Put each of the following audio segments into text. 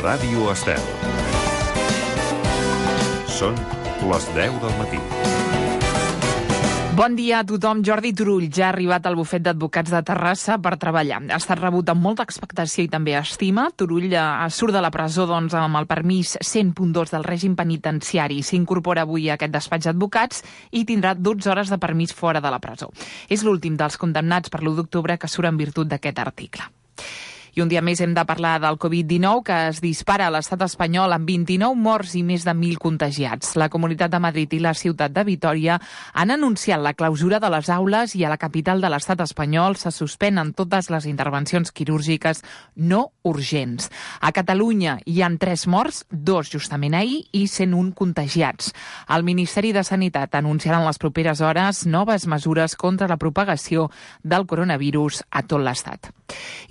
Ràdio Estel. Són les 10 del matí. Bon dia a tothom. Jordi Turull ja ha arribat al bufet d'advocats de Terrassa per treballar. Ha estat rebut amb molta expectació i també estima. Turull surt de la presó amb el permís 100.2 del règim penitenciari. S'incorpora avui a aquest despatx d'advocats i tindrà 12 hores de permís fora de la presó. És l'últim dels condemnats per l'1 d'octubre que surt en virtut d'aquest article. I un dia més hem de parlar del Covid-19, que es dispara a l'estat espanyol amb 29 morts i més de 1.000 contagiats. La Comunitat de Madrid i la ciutat de Vitòria han anunciat la clausura de les aules i a la capital de l'estat espanyol se suspenen totes les intervencions quirúrgiques no urgents. A Catalunya hi han 3 morts, 2 justament ahir i 101 contagiats. El Ministeri de Sanitat anunciarà en les properes hores noves mesures contra la propagació del coronavirus a tot l'estat.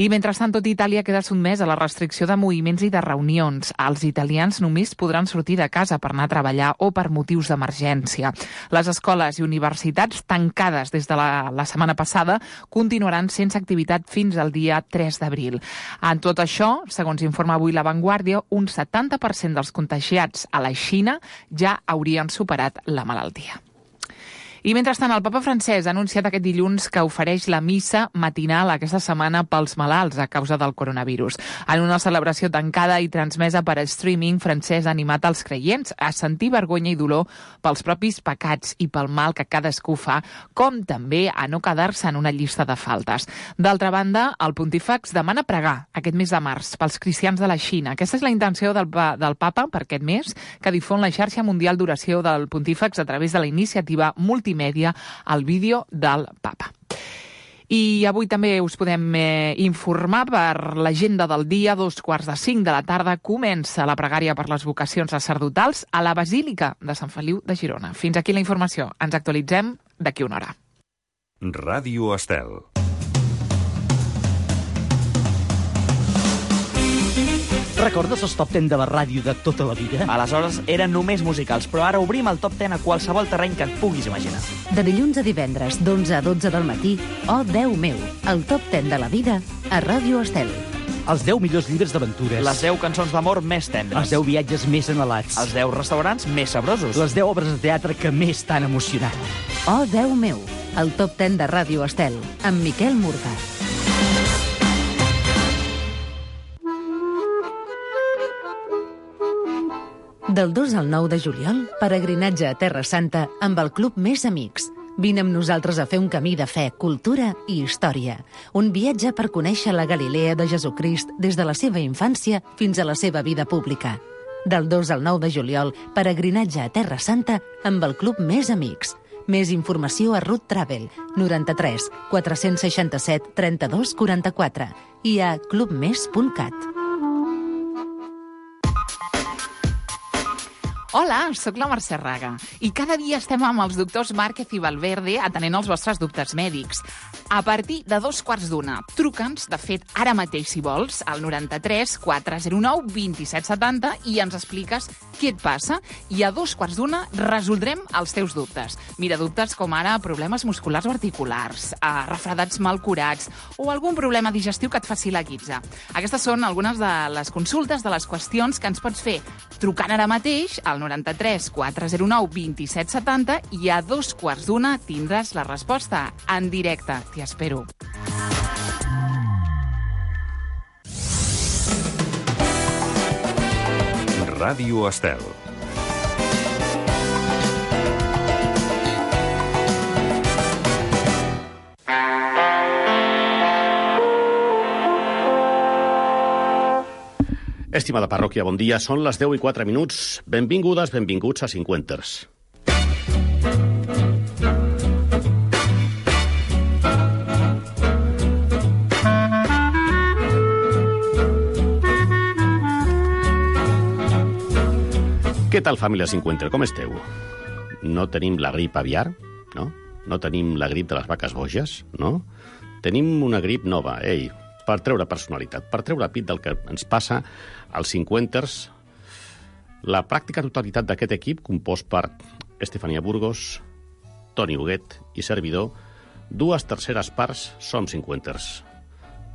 I mentrestant, tot Itàlia queda sotmès a la restricció de moviments i de reunions. Els italians només podran sortir de casa per anar a treballar o per motius d'emergència. Les escoles i universitats tancades des de la setmana passada continuaran sense activitat fins al dia 3 d'abril. En tot això, segons informa avui La Vanguardia, un 70% dels contagiats a la Xina ja haurien superat la malaltia. I mentrestant, el papa francès ha anunciat aquest dilluns que ofereix la missa matinal aquesta setmana pels malalts a causa del coronavirus. En una celebració tancada i transmesa per streaming, francès ha animat els creients a sentir vergonya i dolor pels propis pecats i pel mal que cadascú fa, com també a no quedar-se en una llista de faltes. D'altra banda, el pontífex demana pregar aquest mes de març pels cristians de la Xina. Aquesta és la intenció del papa per aquest mes, que difon la xarxa mundial d'oració del pontífex a través de la iniciativa multimèdia al vídeo del papa. I avui també us podem informar per l'agenda del dia. 4:45 de la tarda comença la pregària per les vocacions sacerdotals a la Basílica de Sant Feliu de Girona. Fins aquí la informació. Ens actualitzem d'aquí una hora. Ràdio Estel. Recordes els top 10 de la ràdio de tota la vida? Aleshores eren només musicals, però ara obrim el top 10 a qualsevol terreny que et puguis imaginar. De dilluns a divendres, d'11 a 12 del matí, Oh, Déu meu, el top 10 de la vida a Ràdio Estel. Els 10 millors llibres d'aventures. Les 10 cançons d'amor més tendres. Els 10 viatges més anhelats. Els 10 restaurants més sabrosos. Les 10 obres de teatre que més t'han emocionat. Oh, Déu meu, el top 10 de Ràdio Estel, amb Miquel Murga. Del 2 al 9 de juliol, peregrinatge a Terra Santa amb el Club Més Amics. Vine amb nosaltres a fer un camí de fe, cultura i història. Un viatge per conèixer la Galilea de Jesucrist des de la seva infància fins a la seva vida pública. Del 2 al 9 de juliol, peregrinatge a Terra Santa amb el Club Més Amics. Més informació a Route Travel, 93 467 32 44 i a clubmes.cat. Hola, sóc la Mercè Raga i cada dia estem amb els doctors Márquez i Valverde atenent els vostres dubtes mèdics. A partir de 2:15, truca'ns, de fet, ara mateix, si vols, al 93 409 2770 i ens expliques què et passa i a 2:15 resoldrem els teus dubtes. Mira, dubtes com ara problemes musculars o articulars, refredats mal curats o algun problema digestiu que et faci la guitza. Aquestes són algunes de les consultes, de les qüestions que ens pots fer trucant ara mateix al 93 409 2770 i a 2:15 tindràs la resposta en directe. T'hi espero. Ràdio Estel. Estimada parròquia, bon dia. Són les 10:04. Benvingudes, benvinguts a Cinquenters. Què tal, família Cinquenter? Com esteu? No tenim la grip aviar, no? No tenim la grip de les vaques boges, no? Tenim una grip nova, per treure personalitat, per treure pit del que ens passa als Cinquenters. La pràctica totalitat d'aquest equip, compost per Estefania Burgos, Toni Huguet i servidor, 2/3 parts som Cinquenters.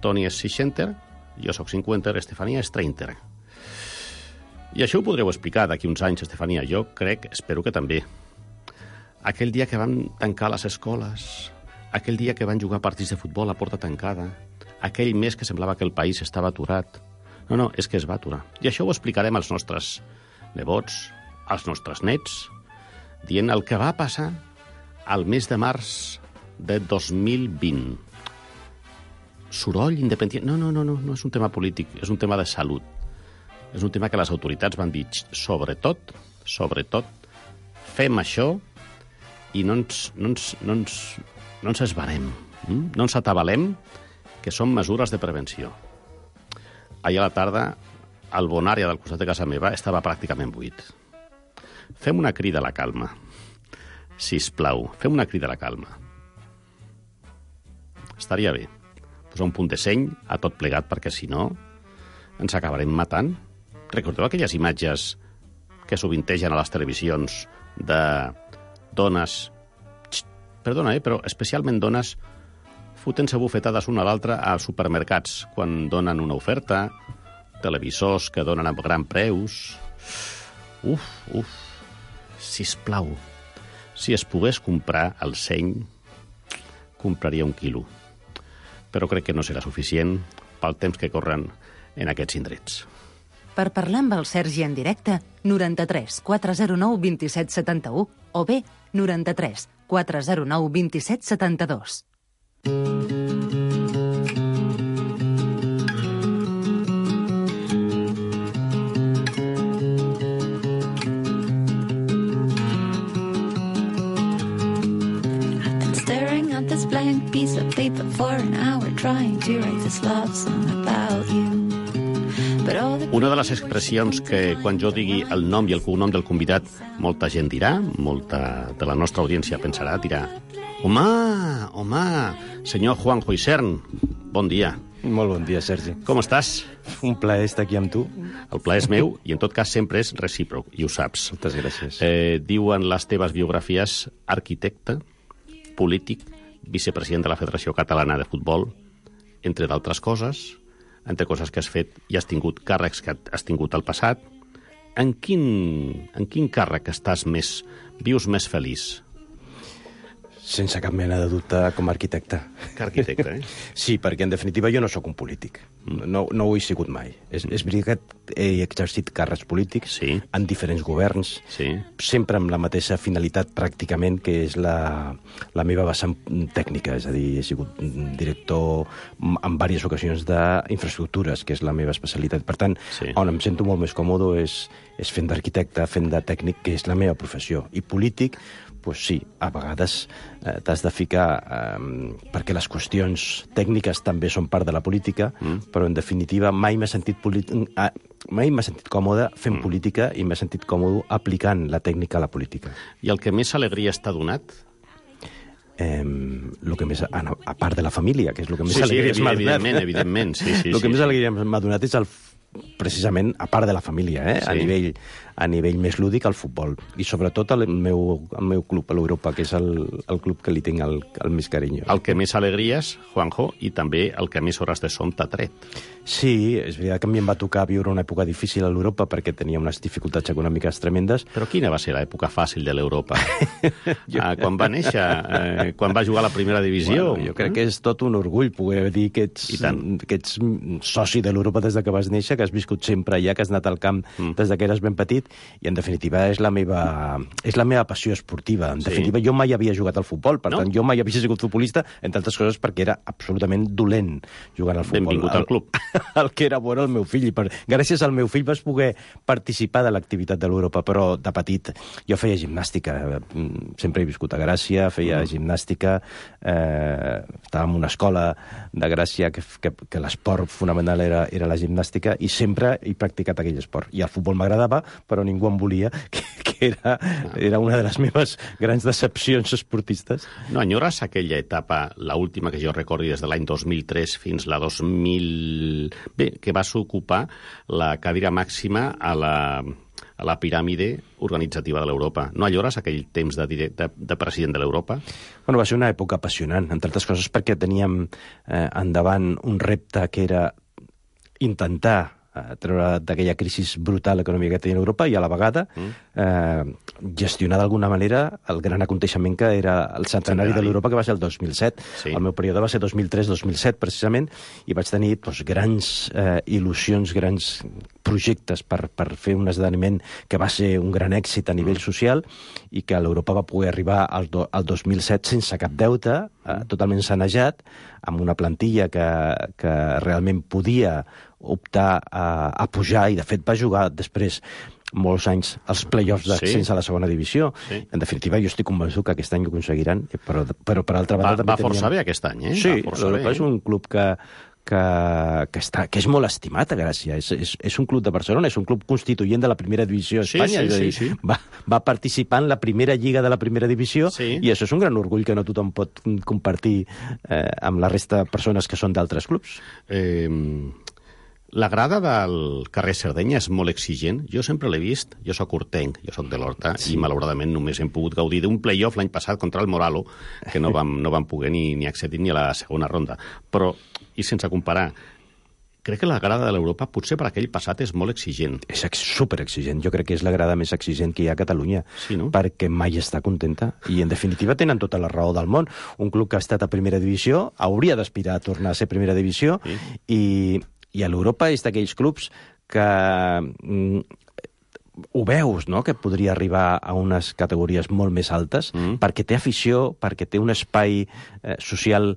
Toni és seixenter, jo sóc Cinquenter, Estefania és treinter. I això ho podreu explicar d'aquí uns anys, Estefania. Jo espero que també. Aquell dia que van tancar les escoles, aquell dia que van jugar partits de futbol a porta tancada, aquell mes que semblava que el país estava aturat. No, és que es va aturar. I això ho explicarem als nostres nebots, als nostres nets, dient el que va passar al mes de març de 2020. Soroll independent... No és un tema polític, és un tema de salut. És un tema que les autoritats van dir, sobretot, fem això i no ens esbarem, no ens atabalem, que són mesures de prevenció. Ahir a la tarda, el Bonària del costat de casa meva estava pràcticament buit. Fem una crida a la calma. Sisplau, fem una crida a la calma. Estaria bé posar un punt de seny a tot plegat, perquè si no ens acabarem matant. Recordeu aquelles imatges que sovintegen a les televisions de dones, perdona, però especialment dones fotent-se bufetades una a l'altra a supermercats quan donen una oferta, televisors que donen a gran preus. Sisplau, si es pogués comprar el seny, compraria 1 quilo. Però crec que no serà suficient pel temps que corren en aquests indrets. Per parlar amb el Sergi en directe, 93 409 27 71 o bé 93 409 27 72. Blank piece of paper for an hour trying to write this love song about you. Una de les expressions que quan jo digui el nom i el cognom del convidat molta gent dirà, molta de la nostra audiència pensarà, dirà home, senyor Juanjo Isern, bon dia. Molt bon dia, Sergi. Com estàs? Un plaer estar aquí amb tu. El plaer és meu i en tot cas sempre és recíproc, i ho saps. Moltes gràcies. Diuen les teves biografies arquitecte, polític, vicepresident de la Federació Catalana de Futbol, entre d'altres coses, entre coses que has fet i has tingut càrrecs que has tingut al passat. En quin càrrec vius més feliç? Sense cap mena de dubte com a arquitecte. Que arquitecte, Sí, perquè en definitiva jo no sóc un polític. No ho he sigut mai. És veritat que he exercit càrrecs polítics en diferents governs, sempre amb la mateixa finalitat pràcticament, que és la meva vessant tècnica. És a dir, he sigut director en diverses ocasions d'infraestructures, que és la meva especialitat. Per tant, on em sento molt més còmode és fent d'arquitecte, fent de tècnic, que és la meva professió. I polític, doncs sí, a vegades t'has de ficar, perquè les qüestions tècniques també són part de la política, però en definitiva mai m'he sentit còmode fent política i m'he sentit còmode aplicant la tècnica a la política. I el que més alegria t'ha donat? El que més, a part de la família, que és el que més alegria m'ha donat. Evidentment. El que més alegria m'ha donat és precisament, a part de la família, a nivell més lúdic, el futbol. I sobretot el meu club, a l'Europa, que és el club que li tinc el més carinyo. El que més alegries, Juanjo, i també el que més hores de son t'ha tret. Sí, és veritat que a mi em va tocar viure una època difícil a l'Europa perquè tenia unes dificultats econòmiques tremendes. Però quina va ser l'època fàcil de l'Europa? Quan va néixer? Quan va jugar a la primera divisió? Bueno, jo crec que és tot un orgull poder dir que ets soci de l'Europa des que vas néixer, que has viscut sempre allà, que has anat al camp des que eres ben petit, i en definitiva és la meva passió esportiva. En definitiva, jo mai havia jugat al futbol, per tant, jo mai havia sigut futbolista, entre altres coses perquè era absolutament dolent jugant al futbol. Benvingut al club. El que era bo era el meu fill, i gràcies al meu fill vas poder participar de l'activitat de l'Europa, però de petit jo feia gimnàstica, sempre he viscut a Gràcia, feia gimnàstica, estava en una escola de Gràcia que l'esport fonamental era la gimnàstica, i sempre he practicat aquell esport. I el futbol m'agradava, però ningú em volia, que era una de les meves grans decepcions esportistes. No enyores aquella etapa, l'última que jo recordi des de l'any 2003 fins la 2000... Bé, que vas ocupar la cadira màxima a la piràmide organitzativa de l'Europa. No enyores aquell temps de president de l'Europa? Bueno, va ser una època apassionant, entre altres coses perquè teníem endavant un repte que era intentar treure d'aquella crisi brutal econòmica que tenia Europa i a la vegada gestionar d'alguna manera el gran aconteixement que era el centenari de l'Europa, que va ser el 2007. Sí. El meu període va ser 2003-2007, precisament, i vaig tenir grans il·lusions, grans projectes per fer un esdeveniment que va ser un gran èxit a nivell social i que l'Europa va poder arribar al 2007 sense cap deute, totalment sanejat, amb una plantilla que realment podia optar a pujar i, de fet, va jugar després molts anys als play-offs d'ascens a la segona divisió. Sí. En definitiva, jo estic convençut que aquest any ho aconseguiran, però per altra banda... Va força bé aquest any, eh? Sí, l'Europa és un club que és molt estimat a Gràcia. És un club de Barcelona, és un club constituent de la primera divisió a Espanya. Sí. Va participar en la primera lliga de la primera divisió i això és un gran orgull que no tothom pot compartir amb la resta de persones que són d'altres clubs. La grada del carrer Sardenya és molt exigent. Jo sempre l'he vist. Jo soc hortenc, jo soc de l'Horta, i malauradament només hem pogut gaudir d'un play-off l'any passat contra el Moralo, que no vam poder ni accedir ni a la segona ronda. Però, i sense comparar, crec que la grada de l'Europa, potser per aquell passat, és molt exigent. És superexigent. Jo crec que és la grada més exigent que hi ha a Catalunya, perquè mai està contenta. I, en definitiva, tenen tota la raó del món. Un club que ha estat a primera divisió hauria d'aspirar a tornar a ser primera divisió i a l'Europa és d'aquells clubs que ho veus, no?, que podria arribar a unes categories molt més altes, perquè té afició, perquè té un espai social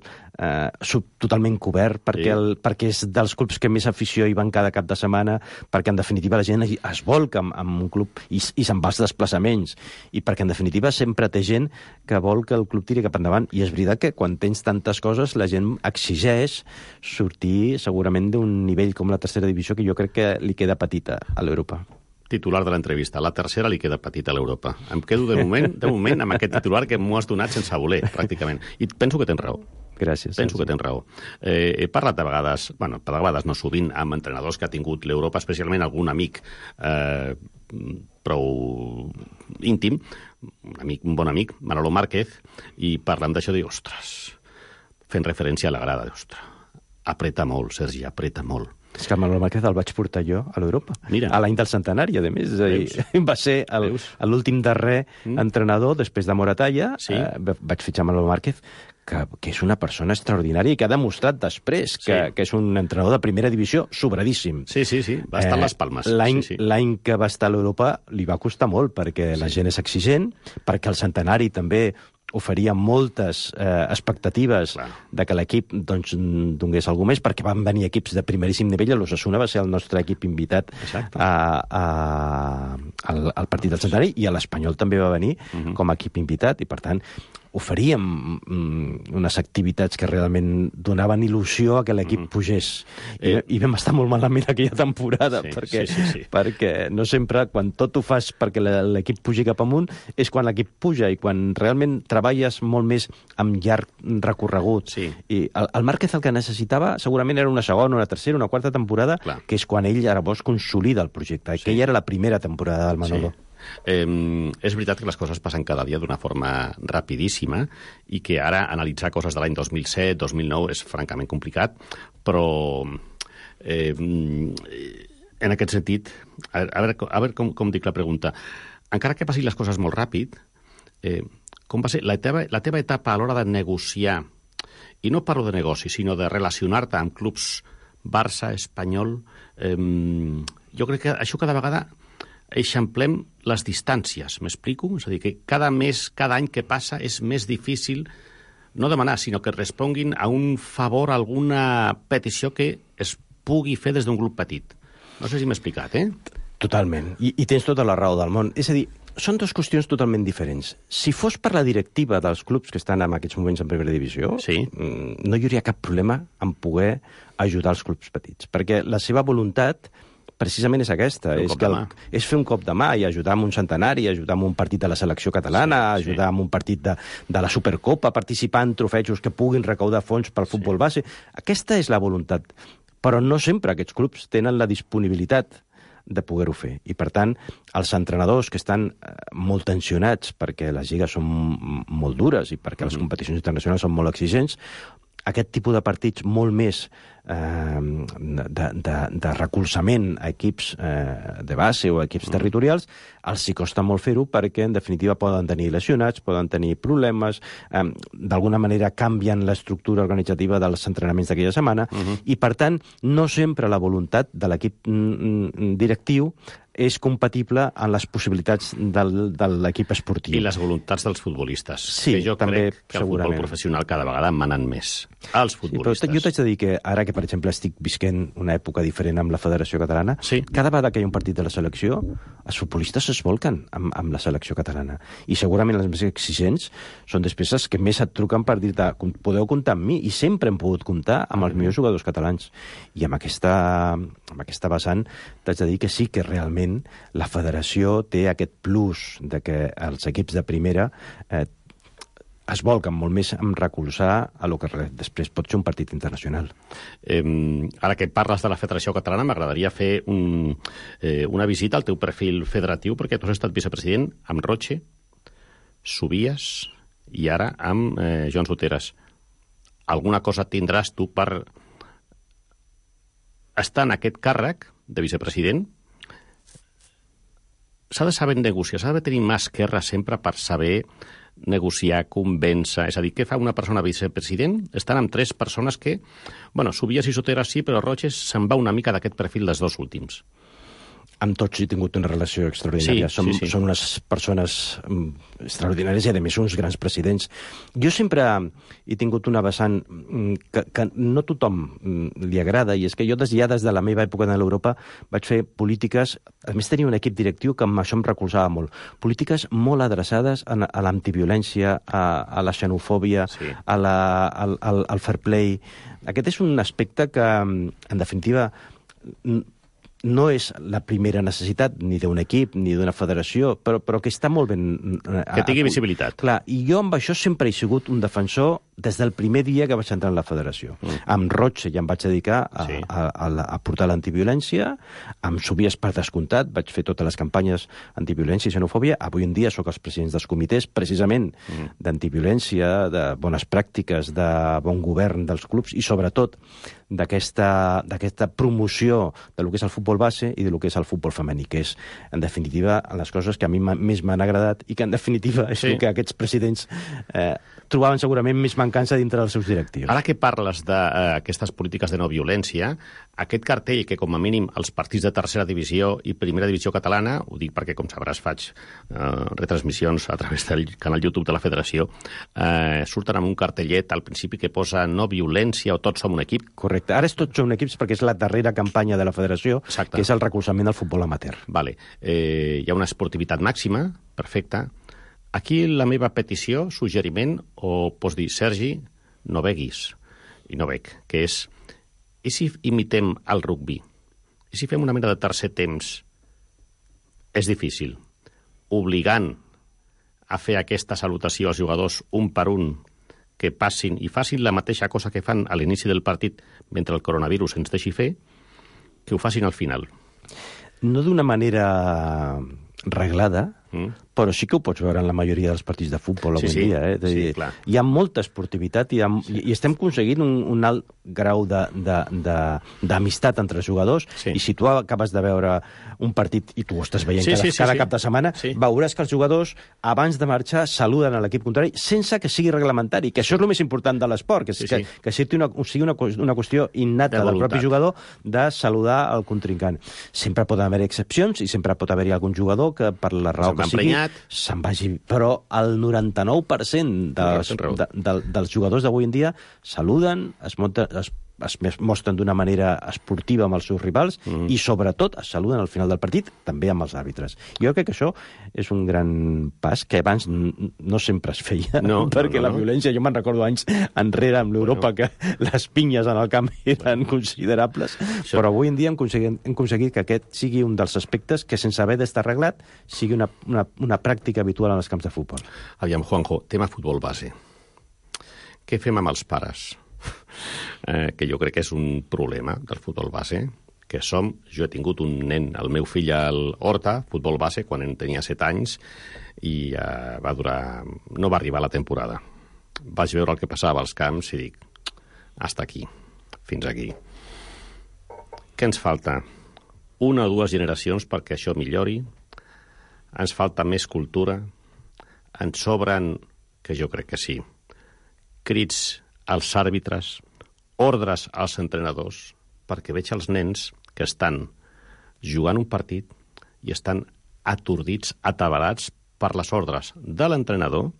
totalment cobert, perquè és dels clubs que més afició hi van cada cap de setmana, perquè, en definitiva, la gent es volca amb un club i se'n va als desplaçaments, i perquè, en definitiva, sempre té gent que vol que el club tiri cap endavant. I és veritat que quan tens tantes coses, la gent exigeix sortir, segurament, d'un nivell com la tercera divisió, que jo crec que li queda petita a l'Europa. Titular de l'entrevista. La tercera li queda petita a l'Europa. Em quedo de moment amb aquest titular que m'ho has donat sense voler, pràcticament. I penso que tens raó. Gràcies. Penso que tens raó. He parlat de vegades, no sovint, amb entrenadors que ha tingut l'Europa, especialment algun amic prou íntim, un bon amic, Manolo Márquez, i parlant d'això dic, ostres, fent referència a la grada, ostres, apreta molt, Sergi, apreta molt. És que Manolo Márquez el vaig portar jo a l'Europa, a l'any del centenari, a més. Va ser l'últim darrer entrenador, després de Moratalla. Vaig fitxar Manolo Márquez, que és una persona extraordinària i que ha demostrat després que és un entrenador de primera divisió sobradíssim. Sí, va estar a les Palmes. L'any que va estar a l'Europa li va costar molt, perquè la gent és exigent, perquè el centenari també oferia moltes expectatives de que l'equip donés alguna més, perquè van venir equips de primeríssim nivell. L'Osasuna va ser el nostre equip invitat al partit del centenari, i l'Espanyol també va venir com a equip invitat, i per tant oferíem unes activitats que realment donaven il·lusió a que l'equip pugés. I vam estar molt malament aquella temporada, perquè no sempre, quan tot ho fas perquè l'equip pugi cap amunt, és quan l'equip puja, i quan realment treballes molt més amb llarg recorregut. I el Márquez el que necessitava segurament era una segona, una tercera, una quarta temporada, que és quan ell llavors consolida el projecte. Aquella era la primera temporada del Manolo. És veritat que les coses passen cada dia d'una forma rapidíssima i que ara analitzar coses de l'any 2007, 2009 és francament complicat, però en aquest sentit, a veure com dic la pregunta, encara que passin les coses molt ràpid, com va ser la teva etapa a l'hora de negociar, i no parlo de negoci, sinó de relacionar-te amb clubs Barça, Espanyol, jo crec que això cada vegada eixamplem les distàncies, m'explico? És a dir, que cada any que passa és més difícil no demanar, sinó que responguin a un favor, a alguna petició que es pugui fer des d'un grup petit. No sé si m'he explicat, Totalment. I tens tota la raó del món. És a dir, són dues qüestions totalment diferents. Si fos per la directiva dels clubs que estan en aquests moments en primera divisió, no hi hauria cap problema en poder ajudar els clubs petits, perquè la seva voluntat precisament és aquesta, és fer un cop de mà i ajudar amb un centenari, ajudar amb un partit de la selecció catalana, ajudar amb un partit de la Supercopa, participar en trofejos que puguin recaudar fons pel futbol base. Aquesta és la voluntat, però no sempre aquests clubs tenen la disponibilitat de poder-ho fer. I, per tant, els entrenadors que estan molt tensionats perquè les lligues són molt dures i perquè les competicions internacionals són molt exigents, aquest tipus de partits molt més de recolzament a equips de base o a equips territorials, els hi costa molt fer-ho perquè, en definitiva, poden tenir lesionats, poden tenir problemes, d'alguna manera canvien l'estructura organitzativa dels entrenaments d'aquella setmana, i, per tant, no sempre la voluntat de l'equip directiu és compatible amb les possibilitats de l'equip esportiu. I les voluntats dels futbolistes. Sí, que jo també, crec que el futbol professional cada vegada manen més. Els futbolistes. Sí, però jo t'haig de dir que ara que, per exemple, estic visquent una època diferent amb la Federació Catalana, cada vegada que hi ha un partit de la selecció, els futbolistes es volquen amb la selecció catalana. I segurament les més exigents són després els que més et truquen per dir-te podeu comptar amb mi, i sempre hem pogut comptar amb els millors jugadors catalans. I amb aquesta vessant t'haig de dir que sí que realment la federació té aquest plus de que els equips de primera es volquen molt més en recolzar a lo que després pot ser un partit internacional. Ara que parles de la Federació Catalana, m'agradaria fer una visita al teu perfil federatiu, perquè tu has estat vicepresident amb Roche, Subies i ara amb Joan Soteras. Alguna cosa tindràs tu per estar en aquest càrrec de vicepresident? S'ha de saber negociar, s'ha de tenir mà esquerra sempre per saber negociar, convèncer. És a dir, què fa una persona vicepresident? Estan amb 3 persones que, Subies i Soteras sí, però Roches se'n va una mica d'aquest perfil dels 2 últims. Amb tots he tingut una relació extraordinària. Són unes persones extraordinàries i, a més, uns grans presidents. Jo sempre he tingut una vessant que no tothom li agrada, i és que jo des de la meva època a l'Europa vaig fer polítiques, a més tenia un equip directiu que amb això em recolzava molt, polítiques molt adreçades a l'antiviolència, a la xenofòbia, al fair play. Aquest és un aspecte que, en definitiva, no és la primera necessitat ni d'un equip ni d'una federació, però que està molt ben... Que tingui visibilitat. Clar, i jo amb això sempre he sigut un defensor des del primer dia que vaig entrar en la federació. Amb Roche ja em vaig dedicar a portar l'antiviolència, amb Subies per descomptat, vaig fer totes les campanyes antiviolència i xenofòbia. Avui en dia sóc els presidents dels comitès, precisament d'antiviolència, de bones pràctiques, de bon govern dels clubs i, sobretot, d'aquesta promoció de lo que és el futbol base i de lo que és el futbol femení, que és, en definitiva, les coses que a mi més m'han agradat i que, en definitiva, és el que aquests presidents trobaven segurament més mancança dintre dels seus directius. Ara que parles d'aquestes polítiques de no violència, aquest cartell que, com a mínim, els partits de tercera divisió i primera divisió catalana, ho dic perquè, com sabràs, faig retransmissions a través del canal YouTube de la Federació, surten amb un cartellet al principi que posa no violència o tots som un equip. Correcte. Ara és tots som equips perquè és la darrera campanya de la Federació, que és el recolzament del futbol amateur. Vale. Hi ha una esportivitat màxima, perfecta. Aquí la meva petició, suggeriment, o pots dir, Sergi, no beguis, i no bec, que és, i si imitem el rugbi? I si fem una mena de tercer temps? És difícil. Obligant a fer aquesta salutació als jugadors un per un, que passin i facin la mateixa cosa que fan a l'inici del partit mentre el coronavirus ens deixi fer, que ho facin al final. No d'una manera reglada, però sí que ho pots veure en la majoria dels partits de futbol avui en dia. Sí, clar. Hi ha molta esportivitat i estem aconseguint un alt grau d'amistat entre els jugadors, i si tu acabes de veure un partit, i tu ho estàs veient cada cap de setmana, veuràs que els jugadors, abans de marxar, saluden a l'equip contrari sense que sigui reglamentari, que això és el més important de l'esport, que sigui una qüestió innata del propi jugador de saludar el contrincant. Sempre poden haver excepcions i sempre pot haver-hi algun jugador que, per la raó que sigui, se'n vagi. Però el 99% dels jugadors d'avui en dia saluden, es mostren d'una manera esportiva amb els seus rivals i, sobretot, es saluden al final del partit també amb els àrbitres. Jo crec que això és un gran pas que abans no sempre es feia, perquè la violència, jo me'n recordo anys enrere amb l'Europa que les pinyes en el camp eren considerables, però avui en dia hem aconseguit que aquest sigui un dels aspectes que, sense haver d'estar arreglat, sigui una pràctica habitual en els camps de futbol. Aviam, Juanjo, tema futbol base. Què fem amb els pares? Que jo crec que és un problema del futbol base, que jo he tingut un nen, el meu fill al Horta, futbol base, quan en tenia 7 anys, i no va arribar la temporada. Vaig veure el que passava als camps i dic, hasta aquí, fins aquí. què ens falta? 1 o 2 generacions perquè això millori, ens falta més cultura, ens sobren, que jo crec que sí, crits als àrbitres, ordres als entrenadors, perquè veig els nens que estan jugant un partit i estan atordits, atabalats per les ordres de l'entrenador.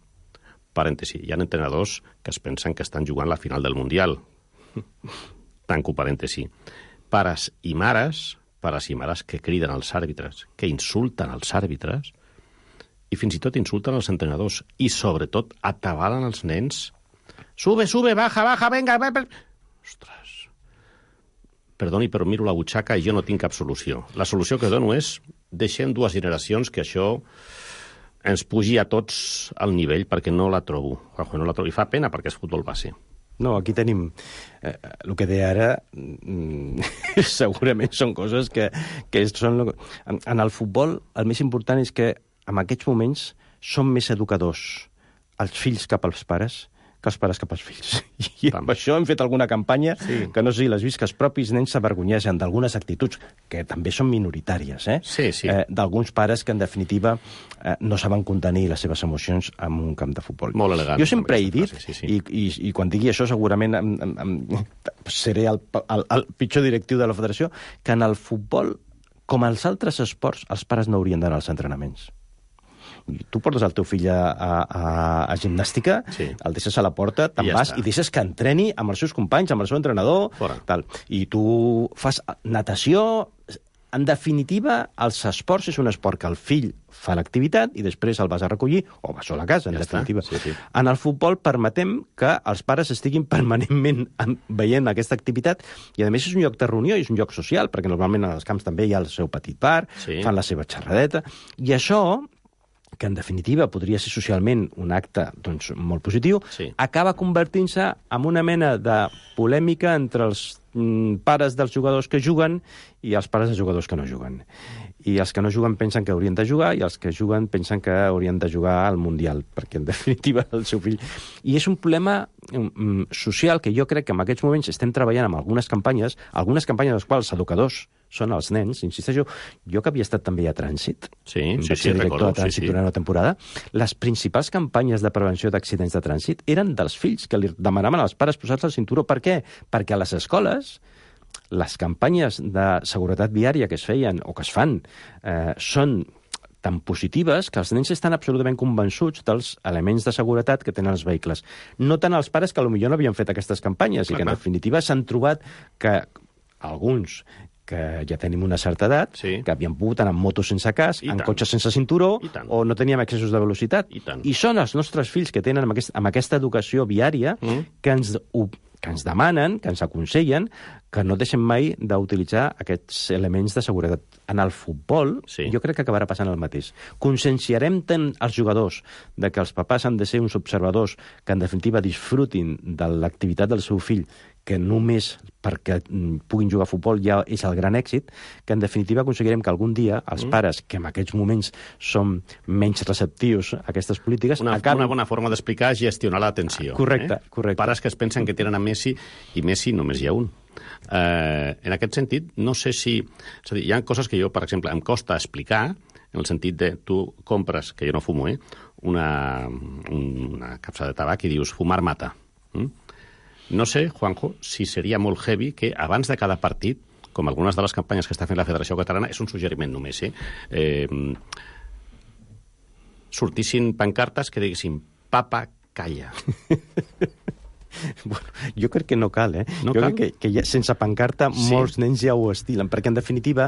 Parèntesi, hi ha entrenadors que es pensen que estan jugant la final del Mundial. Tanco parèntesi. Pares i mares que criden als àrbitres, que insulten als àrbitres, i fins i tot insulten els entrenadors, i sobretot atabalen els nens. Sube, baja, venga. Ostres. Perdoni, però miro la butxaca i jo no tinc cap solució. La solució que dono és deixem 2 generacions que això ens pugi a tots al nivell, perquè no la trobo. No la trobo. I fa pena perquè és futbol base. No, aquí tenim... el que deia ara segurament són coses que són... En el futbol el més important és que en aquests moments són més educadors els fills cap als pares que els pares cap als fills. I amb això hem fet alguna campanya que no sé si l'has vist, que els propis nens s'avergonyeixen d'algunes actituds, que també són minoritàries, d'alguns pares que, en definitiva, no saben contenir les seves emocions en un camp de futbol. Molt elegant. Jo sempre he dit, i quan digui això segurament seré el pitjor directiu de la federació, que en el futbol, com als altres esports, els pares no haurien d'anar als entrenaments. Tu portes el teu fill a gimnàstica, el deixes a la porta, te'n vas i deixes que entreni amb els seus companys, amb el seu entrenador, tal. I tu fas natació. En definitiva, els esports és un esport que el fill fa l'activitat i després el vas a recollir o vas sola a casa, en definitiva. En el futbol permetem que els pares estiguin permanentment veient aquesta activitat i, a més, és un lloc de reunió i és un lloc social, perquè normalment als camps també hi ha el seu petit bar, fan la seva xerradeta, i això, que en definitiva podria ser socialment un acte molt positiu, acaba convertint-se en una mena de polèmica entre els pares dels jugadors que juguen i els pares dels jugadors que no juguen. I els que no juguen pensen que haurien de jugar i els que juguen pensen que haurien de jugar al Mundial, perquè en definitiva el seu fill... I és un problema social que jo crec que en aquests moments estem treballant amb algunes campanyes de les quals els educadors són els nens, insisteixo, jo que havia estat també a Trànsit, director de Trànsit durant una temporada, les principals campanyes de prevenció d'accidents de trànsit eren dels fills, que li demanaven als pares posar-se el cinturó. Per què? Perquè a les escoles les campanyes de seguretat viària que es feien o que es fan són tan positives que els nens estan absolutament convençuts dels elements de seguretat que tenen els vehicles. No tant els pares que potser no havien fet aquestes campanyes i que en definitiva s'han trobat que alguns que ja tenim una certa edat, que havien pogut anar amb motos sense casc, en cotxes sense cinturó, o no teníem excessos de velocitat. I són els nostres fills que tenen amb aquesta educació viària que ens demanen, que ens aconsellen, que no deixem mai d'utilitzar aquests elements de seguretat. En el futbol, jo crec que acabarà passant el mateix. Conscienciarem tant els jugadors de que els papàs han de ser uns observadors que, en definitiva, disfrutin de l'activitat del seu fill, que només perquè puguin jugar a futbol ja és el gran èxit, que en definitiva aconseguirem que algun dia els pares, que en aquests moments són menys receptius a aquestes polítiques... Una bona forma d'explicar és gestionar l'atenció. Correcte. Pares que es pensen que tenen a Messi, i Messi només hi ha un. En aquest sentit, no sé si... És a dir, hi ha coses que jo, per exemple, em costa explicar, en el sentit de tu compres, que jo no fumo, una capsa de tabac i dius fumar mata. No sé, Juanjo, si seria molt heavy que abans de cada partit, com algunes de les campanyes que està fent la Federació Catalana, és un suggeriment només, sortissin pancartes que diguessin papa, calla. Bueno, jo crec que no cal, No jo crec que ja, sense pancarta molts nens ja ho estilen, perquè en definitiva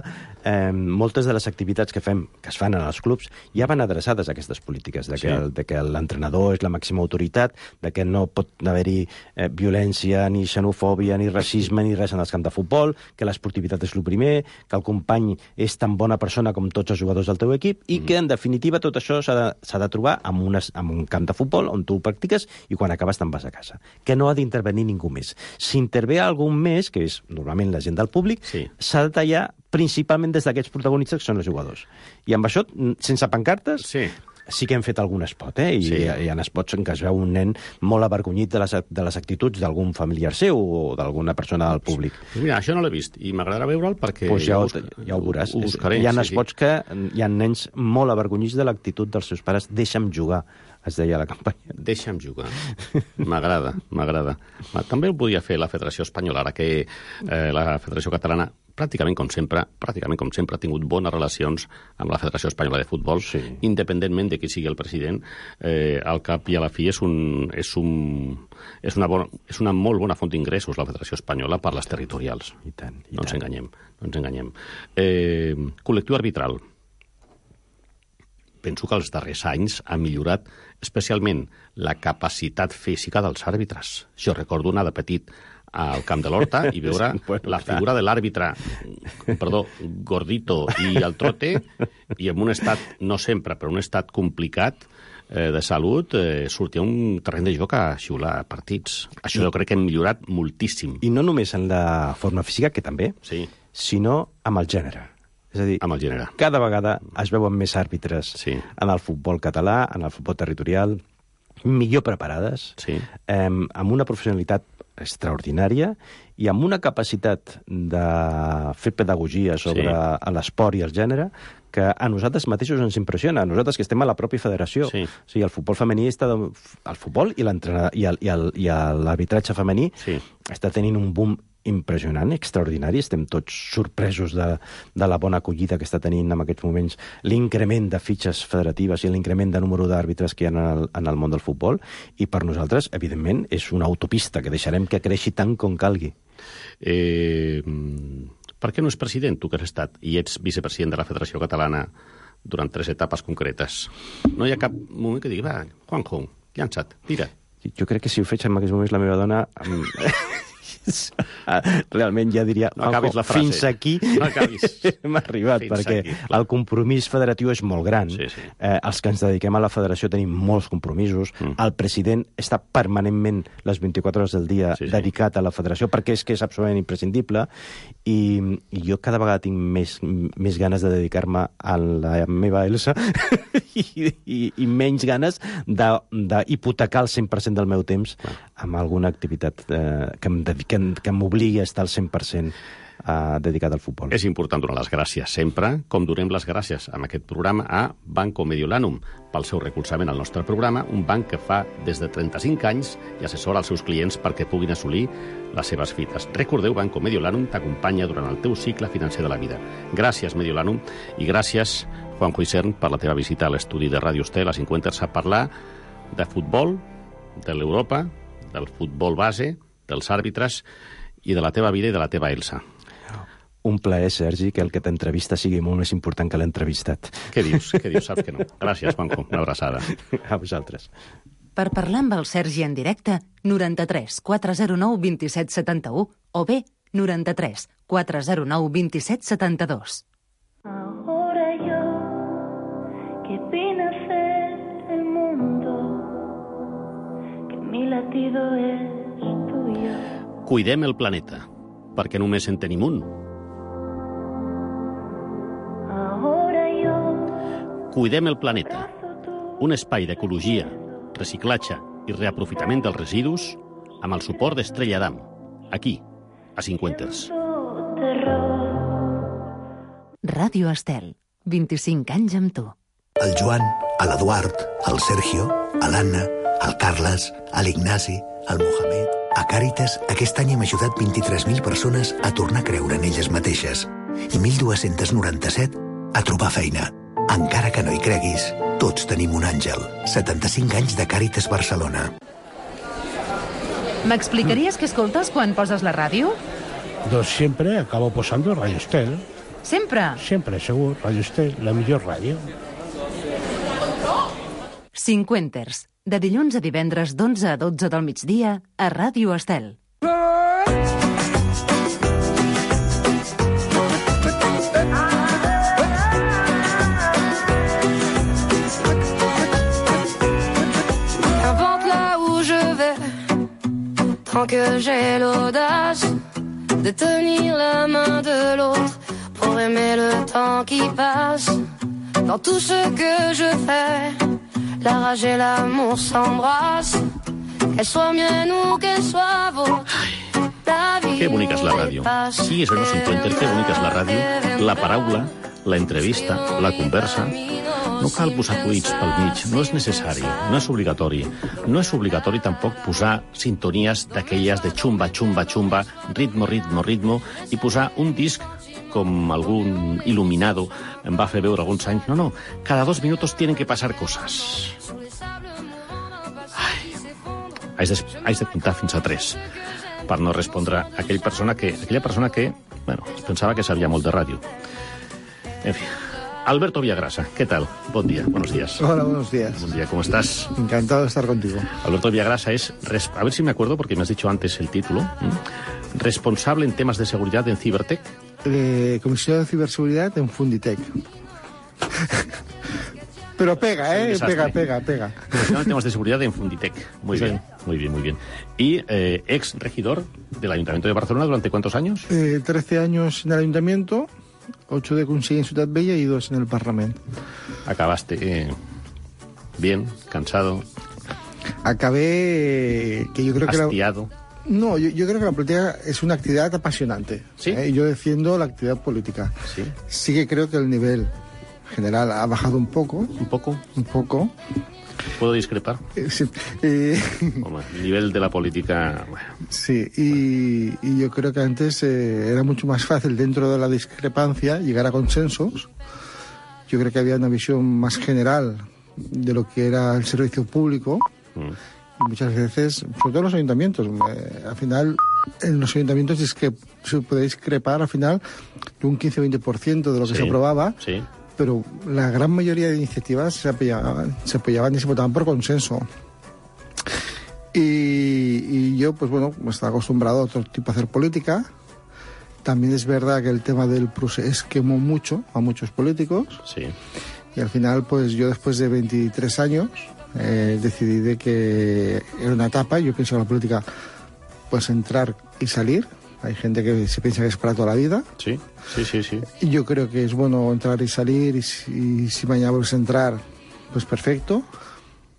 moltes de les activitats que es fan en els clubs ja van adreçades a aquestes polítiques, de que l'entrenador és la màxima autoritat, de que no pot haver-hi violència, ni xenofòbia, ni racisme, ni res en els camps de futbol, que l'esportivitat és el primer, que el company és tan bona persona com tots els jugadors del teu equip, i que en definitiva tot això s'ha de trobar en un camp de futbol on tu ho practiques i quan acabes te'n vas a casa. Que no ha d'intervenir ningú més. Si intervé algú més, que és normalment la gent del públic, s'ha de tallar principalment des d'aquests protagonistes que són els jugadors. I amb això, sense pancartes, sí que hem fet algun spot, i hi ha spots en què es veu un nen molt avergonyit de les actituds d'algun familiar seu o d'alguna persona del públic. Mira, això no l'he vist i m'agradarà veure'l perquè... Pues ja ho veuràs. Hi ha spots que hi ha nens molt avergonyits de l'actitud dels seus pares. Deixa'm jugar, es deia a la campanya. Deixa'm jugar. M'agrada. També ho podia fer la Federació Espanyola, ara que la Federació Catalana pràcticament com sempre ha tingut bones relacions amb la Federació Espanyola de Futbol, independentment de qui sigui el president. Al cap i a la fi és una molt bona font d'ingressos la Federació Espanyola per les territorials. I tant. No ens enganyem. Col·lectiu arbitral. Penso que els darrers anys ha millorat especialment la capacitat física dels àrbitres. Jo recordo anar de petit al Camp de l'Horta i veure la figura de l'àrbitre, gordito i al trote, i en un estat, no sempre, però un estat complicat de salut, sortia un terreny de joc a xiular partits. Això jo crec que hem millorat moltíssim. I no només en la forma física, que també, sinó amb el gènere. És a dir, cada vegada es veuen més àrbitres en el futbol català, en el futbol territorial, millor preparades, amb una professionalitat extraordinària i amb una capacitat de fer pedagogia sobre l'esport i el gènere que a nosaltres mateixos ens impressiona, a nosaltres que estem a la pròpia federació. O sigui, el futbol femení el futbol i l'arbitratge femení està tenint un boom impressionant, extraordinari. Estem tots sorpresos de la bona acollida que està tenint en aquests moments l'increment de fitxes federatives i l'increment de número d'àrbitres que hi ha en el món del futbol, i per nosaltres, evidentment, és una autopista que deixarem que creixi tant com calgui. Per què no és president, tu que has estat, i ets vicepresident de la Federació Catalana durant 3 etapes concretes? No hi ha cap moment que digui, va, Juanjo, llança't, tira. Jo crec que si ho faig en aquests moments la meva dona... realment ja diria, no acabis la frase. Fins aquí hem arribat, perquè el compromís federatiu és molt gran. Els que ens dediquem a la federació tenim molts compromisos. El president està permanentment les 24 hores del dia dedicat a la federació, perquè és que és absolutament imprescindible, i jo cada vegada tinc més ganes de dedicar-me a la meva Elsa i menys ganes d'hipotecar el 100% del meu temps amb alguna activitat que m'obligui a estar al 100% dedicat al futbol. És important donar les gràcies sempre, com donem les gràcies amb aquest programa a Banco Mediolanum pel seu recolzament al nostre programa, un banc que fa des de 35 anys i assessora als seus clients perquè puguin assolir les seves fites. Recordeu, Banco Mediolanum t'acompanya durant el teu cicle financer de la vida. Gràcies, Mediolanum, i gràcies, Juanjo Isern, per la teva visita a l'estudi de Ràdio Estel a 50 a parlar de futbol, de l'Europa, del futbol base, dels àrbitres i de la teva vida i de la teva Elsa. Un plaer, Sergi, que el que t'entrevista sigui molt més important que l'entrevistat. Què dius? Saps que no. Gràcies, Juanjo. Una abraçada. A vosaltres. Per parlar amb el Sergi en directe, 93 409 27 71 o bé 93 409 27 72. Ahora yo, que vine a hacer el mundo, que mi latido es tuyo. Cuidem el planeta, perquè només en tenim un. Cuidem el planeta, un espai d'ecologia, reciclatge i reaprofitament dels residus amb el suport d'Estrella Damm, aquí, a Cinquenters. Ràdio Estel, 25 anys amb tu. El Joan, l'Eduard, el Sergio, l'Anna, el Carles, l'Ignasi, el Mohamed... A Càritas, aquest any hem ajudat 23.000 persones a tornar a creure en elles mateixes i 1.297 a trobar feina. Encara que no hi creguis, tots tenim un àngel. 75 anys de Càritas Barcelona. ¿M'explicaries què escoltes quan poses la ràdio? Doncs sempre acabo posando Radio Estel. Sempre? Sempre, segur. Radio Estel, la millor ràdio. Cinquenters, de dilluns a divendres d'11 a 12 del migdia a Ràdio Estel. Qu'importe là où je vais, tant que j'ai l'audace de tenir la main de l'autre pour aimer le temps qui passe. Dans tout ce que je fais, la rage et l'amour s'embrassent. Qu'elle soit mienne ou qu'elle soit vôtre. Que bonica és la ràdio. Sí, això no s'encuentra, que bonica és la ràdio. La paraula, la entrevista, la conversa. No cal posar tuits pel mig, no és necessari, no és obligatori. No és obligatori tampoc posar sintonies d'aquelles de xumba, xumba, xumba, ritmo, ritmo, ritmo, i posar un disc com algun il·luminado em va fer veure alguns anys. No, cada 2 minutos tienen que pasar cosas. Haig de comptar fins a 3 per no respondre a aquella persona que, bueno, es pensava que sabia molt de ràdio. En fi, Alberto Villagrasa, ¿qué tal? Buen día, buenos días. Hola, buenos días. Buen día, ¿cómo estás? Encantado de estar contigo. Alberto Villagrasa es, a ver si me acuerdo porque me has dicho antes el título, responsable en temas de seguridad en Cibertec. Comisión de Ciberseguridad en Funditec. Pero pega, pega. Comisión en temas de seguridad en Funditec. Muy bien. Y ex regidor del Ayuntamiento de Barcelona, ¿durante cuántos años? 13 años en el Ayuntamiento, 8 de conseller en Ciutat Vella y 2 en el Parlamento. Acabaste bien, cansado. Acabé que yo creo hastiado. No, yo creo que la política es una actividad apasionante. ¿Sí? Yo defiendo la actividad política. Sí. Sí que creo que el nivel general ha bajado un poco. ¿Un poco? Un poco. ¿Puedo discrepar? Sí. El nivel de la política... Bueno. Sí, y yo creo que antes era mucho más fácil, dentro de la discrepancia, llegar a consensos. Yo creo que había una visión más general de lo que era el servicio público. Y muchas veces, sobre todo en los ayuntamientos, al final, en los ayuntamientos es que se puede discrepar al final de un 15-20% de lo que se aprobaba. Sí. Pero la gran mayoría de iniciativas se apoyaban y se votaban por consenso. Y yo, pues bueno, estaba acostumbrado a otro tipo de hacer política. También es verdad que el tema del procés quemó mucho a muchos políticos. Sí. Y al final, pues yo después de 23 años decidí de que era una etapa. Yo pienso que la política, pues entrar y salir. Hay gente que se piensa que es para toda la vida. Sí. Y yo creo que es bueno entrar y salir, y si mañana vuelves a entrar, pues perfecto.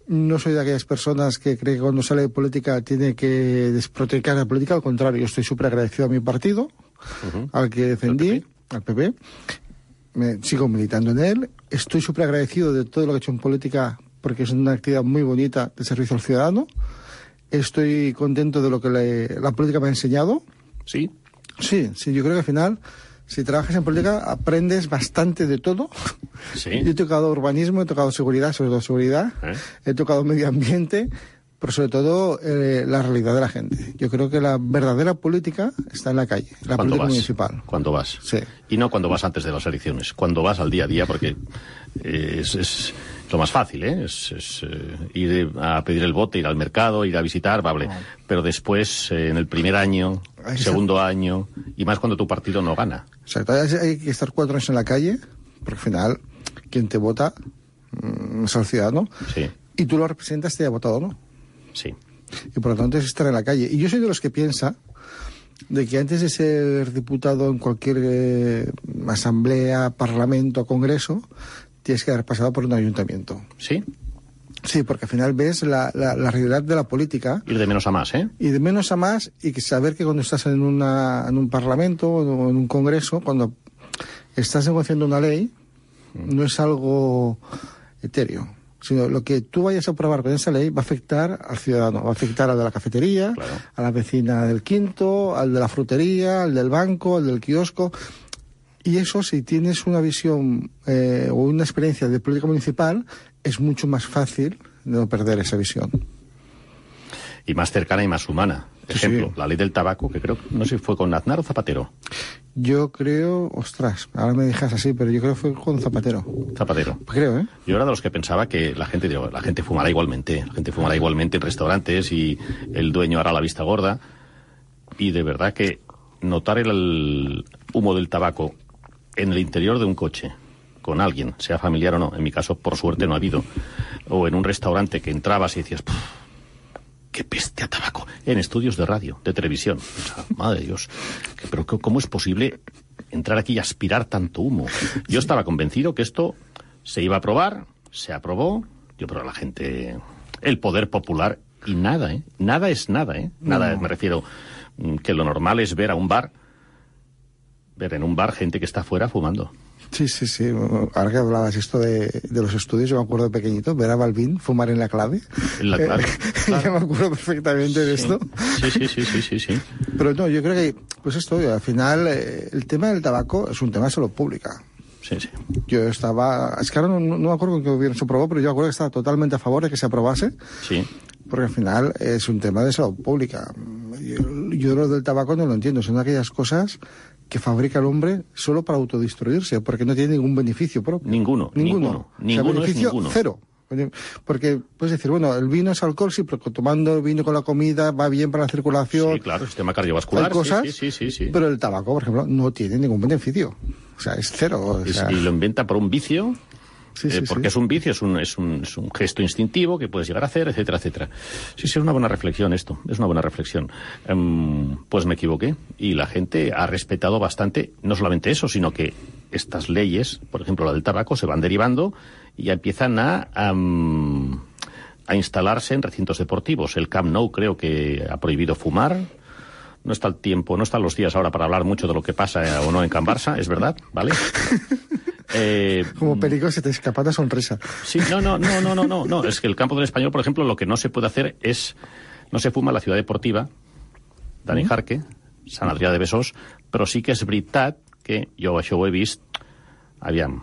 No soy de aquellas personas que cree que cuando sale de política tiene que desproteger la política. Al contrario, yo estoy súper agradecido a mi partido, al que defendí, al PP. Sigo militando en él. Estoy súper agradecido de todo lo que he hecho en política, porque es una actividad muy bonita de servicio al ciudadano. Estoy contento de lo que la política me ha enseñado. ¿Sí? Sí, yo creo que al final, si trabajas en política, aprendes bastante de todo. Sí. Yo he tocado urbanismo, he tocado seguridad, sobre todo seguridad, he tocado medio ambiente, pero sobre todo la realidad de la gente. Yo creo que la verdadera política está en la calle, la política municipal. Cuando vas. Sí. Y no cuando vas antes de las elecciones, cuando vas al día a día, porque es lo más fácil, es ir a pedir el voto, ir al mercado, ir a visitar, vale. Pero después, en el primer año, segundo año, y más cuando tu partido no gana. Exacto, hay que estar 4 años en la calle, porque al final, quien te vota es el ciudadano. Sí. Y tú lo representas, te haya votado o no. Sí. Y por lo tanto es estar en la calle. Y yo soy de los que piensa de que antes de ser diputado en cualquier asamblea, parlamento, congreso, tienes que haber pasado por un ayuntamiento. ¿Sí? Sí, porque al final ves la realidad de la política. Ir de menos a más, ¿eh? Y de menos a más, y que saber que cuando estás en un parlamento o en un congreso, cuando estás negociando una ley, no es algo etéreo, sino lo que tú vayas a aprobar con esa ley va a afectar al ciudadano, va a afectar al de la cafetería, claro, a la vecina del quinto, al de la frutería, al del banco, al del kiosco. Y eso, si tienes una visión o una experiencia de política municipal, es mucho más fácil de no perder esa visión. Y más cercana y más humana. Ejemplo, la ley del tabaco, que creo, no sé si fue con Aznar o Zapatero. Yo creo, ostras, ahora me dejas así, pero yo creo que fue con Zapatero. Zapatero. Creo, ¿eh? Yo era de los que pensaba que la gente fumará igualmente. La gente fumará igualmente en restaurantes y el dueño hará la vista gorda. Y de verdad que notar el humo del tabaco en el interior de un coche, con alguien, sea familiar o no, en mi caso, por suerte, no ha habido, o en un restaurante que entrabas y decías, ¡qué peste a tabaco! En estudios de radio, de televisión. O sea, madre de Dios, ¿pero cómo es posible entrar aquí y aspirar tanto humo? Yo estaba convencido que esto Se iba a aprobar, se aprobó, yo creo a la gente, el poder popular, y nada, ¿eh? Nada es nada, ¿eh? Nada, me refiero, que lo normal es ver en un bar gente que está afuera fumando. Sí. Ahora que hablabas esto de los estudios, yo me acuerdo de pequeñito, ver a Balvin fumar en la clave. En la clave. Claro. Yo me acuerdo perfectamente de esto. Sí. Pero no, yo creo que, pues esto, al final, el tema del tabaco es un tema de salud pública. Sí. Yo estaba... Es que ahora no me acuerdo con qué gobierno se aprobó, pero yo me acuerdo que estaba totalmente a favor de que se aprobase. Sí. Porque al final es un tema de salud pública. Yo lo del tabaco no lo entiendo. Son aquellas cosas que fabrica el hombre solo para autodestruirse, porque no tiene ningún beneficio propio. Ninguno. O sea, beneficio es ninguno. Cero. Porque puedes decir, bueno, el vino es alcohol, sí, pero tomando el vino con la comida va bien para la circulación. Sí, claro, sistema cardiovascular. Hay cosas, sí. Pero el tabaco, por ejemplo, no tiene ningún beneficio. O sea, es cero. Y lo inventa por un vicio. Porque es un vicio, es un gesto instintivo que puedes llegar a hacer, etcétera, etcétera. Sí, es una buena reflexión esto, es una buena reflexión. Pues me equivoqué y la gente ha respetado bastante, no solamente eso, sino que estas leyes, por ejemplo la del tabaco, se van derivando y ya empiezan a instalarse en recintos deportivos. El Camp Nou creo que ha prohibido fumar. No está el tiempo, no están los días ahora para hablar mucho de lo que pasa o no en Can Barça, es verdad, ¿vale? Como perico se te escapa una sonrisa. Sí, no. Es que el Campo del Español, por ejemplo, lo que no se puede hacer es... No se fuma en la ciudad deportiva, Dani Jarque, Sant Adrià de Besòs, però sí que és veritat que jo això ho he vist... Aviam,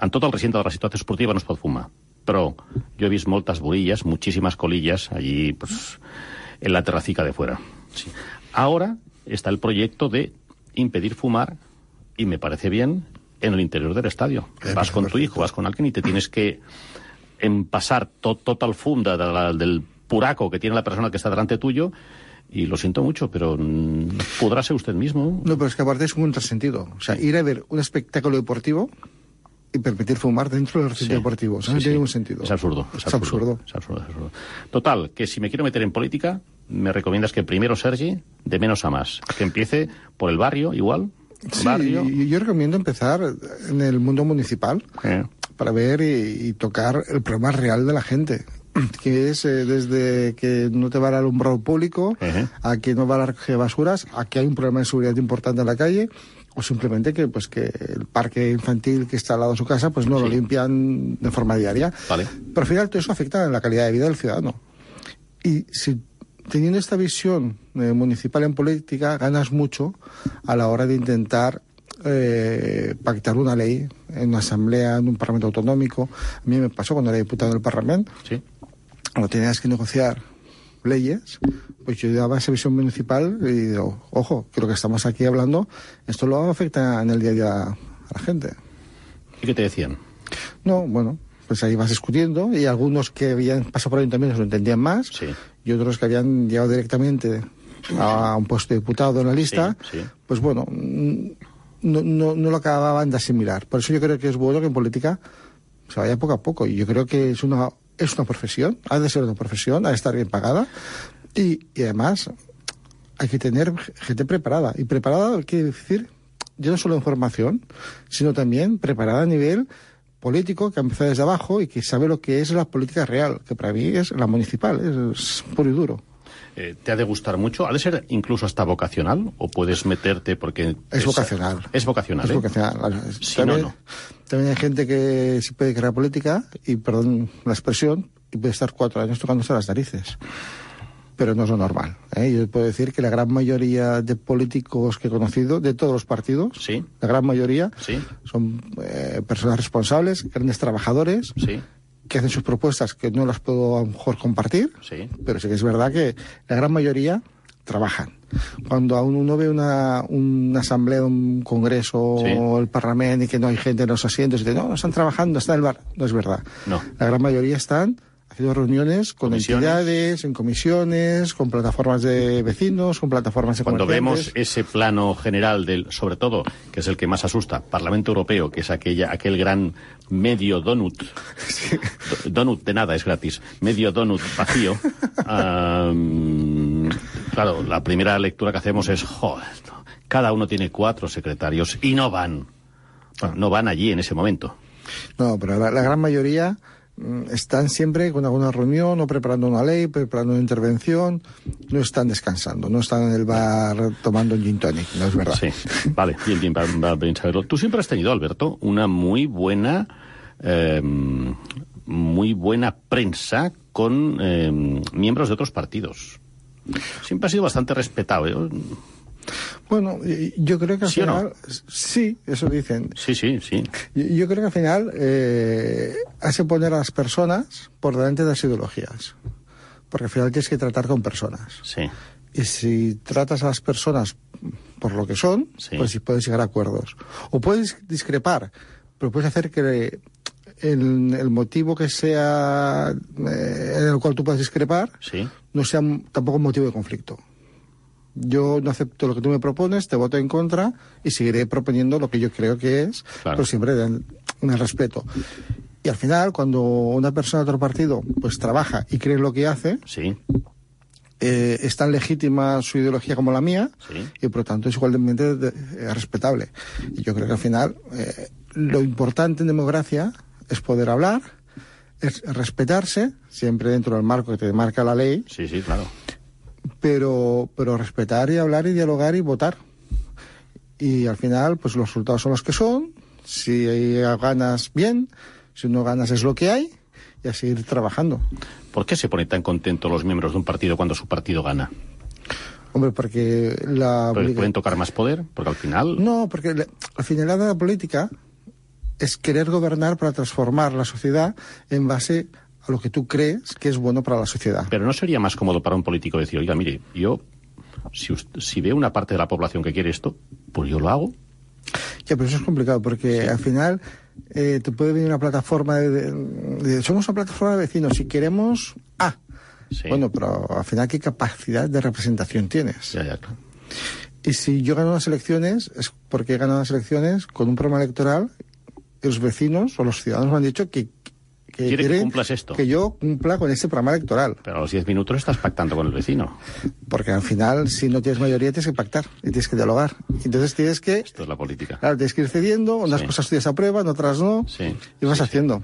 en tot el recinte de la ciutat esportiva no es pot fumar, però jo he vist moltes borillas, muchísimas colillas, allí, pues, en la terracica de fuera. Sí. Ahora está el proyecto de impedir fumar, y me parece bien, en el interior del estadio. Vas con tu hijo, vas con alguien y te tienes que empasar tot el fum del puraco que tiene la persona que está delante tuyo, y lo siento mucho, pero podrá ser usted mismo. No, pero es que aparte es un contrasentido. O sea, ir a ver un espectáculo deportivo y permitir fumar dentro del recinto deportivo. O sea, no tiene ningún sentido. Es absurdo. Total, que si me quiero meter en política, me recomiendas que primero, Sergi, de menos a más. Que empiece por el barrio, igual. Sí, yo recomiendo empezar en el mundo municipal para ver y tocar el problema real de la gente, que es desde que no te va el alumbrado público, a que no va la recoger basuras, a que hay un problema de seguridad importante en la calle, o simplemente que el parque infantil que está al lado de su casa pues no lo limpian de forma diaria. Vale. Pero al final todo eso afecta en la calidad de vida del ciudadano. Y si teniendo esta visión municipal en política, ganas mucho a la hora de intentar pactar una ley en una asamblea, en un parlamento autonómico. A mí me pasó cuando era diputado del Parlamento. Sí. Cuando tenías que negociar leyes, pues yo daba esa visión municipal y digo, ojo, que lo que estamos aquí hablando, esto lo afecta en el día a día a la gente. ¿Y qué te decían? No, bueno, pues ahí vas discutiendo y algunos que habían pasado por ayuntamientos lo entendían más y otros que habían llegado directamente a un puesto de diputado en la lista, pues bueno, no lo acababan de asimilar. Por eso yo creo que es bueno que en política se vaya poco a poco, y yo creo que es una profesión, ha de ser una profesión, ha de estar bien pagada, y además hay que tener gente preparada. Y preparada quiere decir, ya no solo en formación, sino también preparada a nivel político, que ha empezado desde abajo y que sabe lo que es la política real, que para mí es la municipal, es puro y duro. ¿Te ha de gustar mucho? ¿Ha de ser incluso hasta vocacional? ¿O puedes meterte porque...? Es vocacional. Es vocacional, Es vocacional. Sí, también hay gente que se puede crear política, y perdón la expresión, y puede estar 4 años tocándose las narices. Pero no es lo normal. Yo puedo decir que la gran mayoría de políticos que he conocido, de todos los partidos, la gran mayoría, son personas responsables, grandes trabajadores, que hacen sus propuestas, que no las puedo a lo mejor compartir, pero sí que es verdad que la gran mayoría trabajan. Cuando aún uno ve una asamblea, un congreso o el parlamento y que no hay gente en los asientos y dice, no están trabajando, están en el bar, no es verdad. No. La gran mayoría están haciendo reuniones con entidades, en comisiones, con plataformas de vecinos, con plataformas de Cuando comerciantes. vemos ese plano general sobre todo, que es el que más asusta, Parlamento Europeo, que es aquel gran medio donut, donut de nada, es gratis, medio donut vacío, claro, la primera lectura que hacemos es, joder, cada uno tiene 4 secretarios y no van allí en ese momento. No, pero la gran mayoría están siempre con alguna reunión o preparando una ley, preparando una intervención, no están descansando, no están en el bar tomando un gin tonic, no es verdad. Sí, vale, bien, va bien saberlo. Tú siempre has tenido, Alberto, una muy buena prensa con miembros de otros partidos. Siempre has sido bastante respetado, ¿eh? Bueno, yo creo que al ¿Sí final... o no? Sí, eso dicen. Sí. Yo creo que al final hace poner a las personas por delante de las ideologías. Porque al final tienes que tratar con personas. Sí. Y si tratas a las personas por lo que son, pues sí puedes llegar a acuerdos. O puedes discrepar, pero puedes hacer que el motivo que sea en el cual tú puedas discrepar no sea tampoco un motivo de conflicto. Yo no acepto lo que tú me propones, te voto en contra y seguiré proponiendo lo que yo creo que es, pero siempre en el respeto. Y al final, cuando una persona de otro partido pues trabaja y cree en lo que hace, es tan legítima su ideología como la mía, y por lo tanto es igualmente respetable. Y yo creo que al final lo importante en democracia es poder hablar, es respetarse, siempre dentro del marco que te marca la ley. Sí, claro. Pero respetar y hablar y dialogar y votar. Y al final, pues los resultados son los que son. Si ganas, bien. Si no ganas, es lo que hay. Y a seguir trabajando. ¿Por qué se ponen tan contentos los miembros de un partido cuando su partido gana? Hombre, porque ¿Porque pueden tocar más poder? Porque al final... No, porque al final la política es querer gobernar para transformar la sociedad en base a lo que tú crees que es bueno para la sociedad. Pero ¿no sería más cómodo para un político decir, oiga, mire, yo, si veo una parte de la población que quiere esto, pues yo lo hago? Ya, pero eso es complicado, porque al final te puede venir una plataforma somos una plataforma de vecinos, si queremos A. Bueno, pero al final, ¿qué capacidad de representación tienes? Ya, claro. Y si yo gano unas elecciones, es porque he ganado unas elecciones con un programa electoral y los vecinos o los ciudadanos me han dicho que quiere que cumplas esto. Que yo cumpla con ese programa electoral. Pero a los 10 minutos estás pactando con el vecino. Porque al final, si no tienes mayoría, tienes que pactar y tienes que dialogar. Entonces tienes que... Esto es la política. Claro, tienes que ir cediendo, unas cosas tuyas aprueban, otras no, y vas haciendo.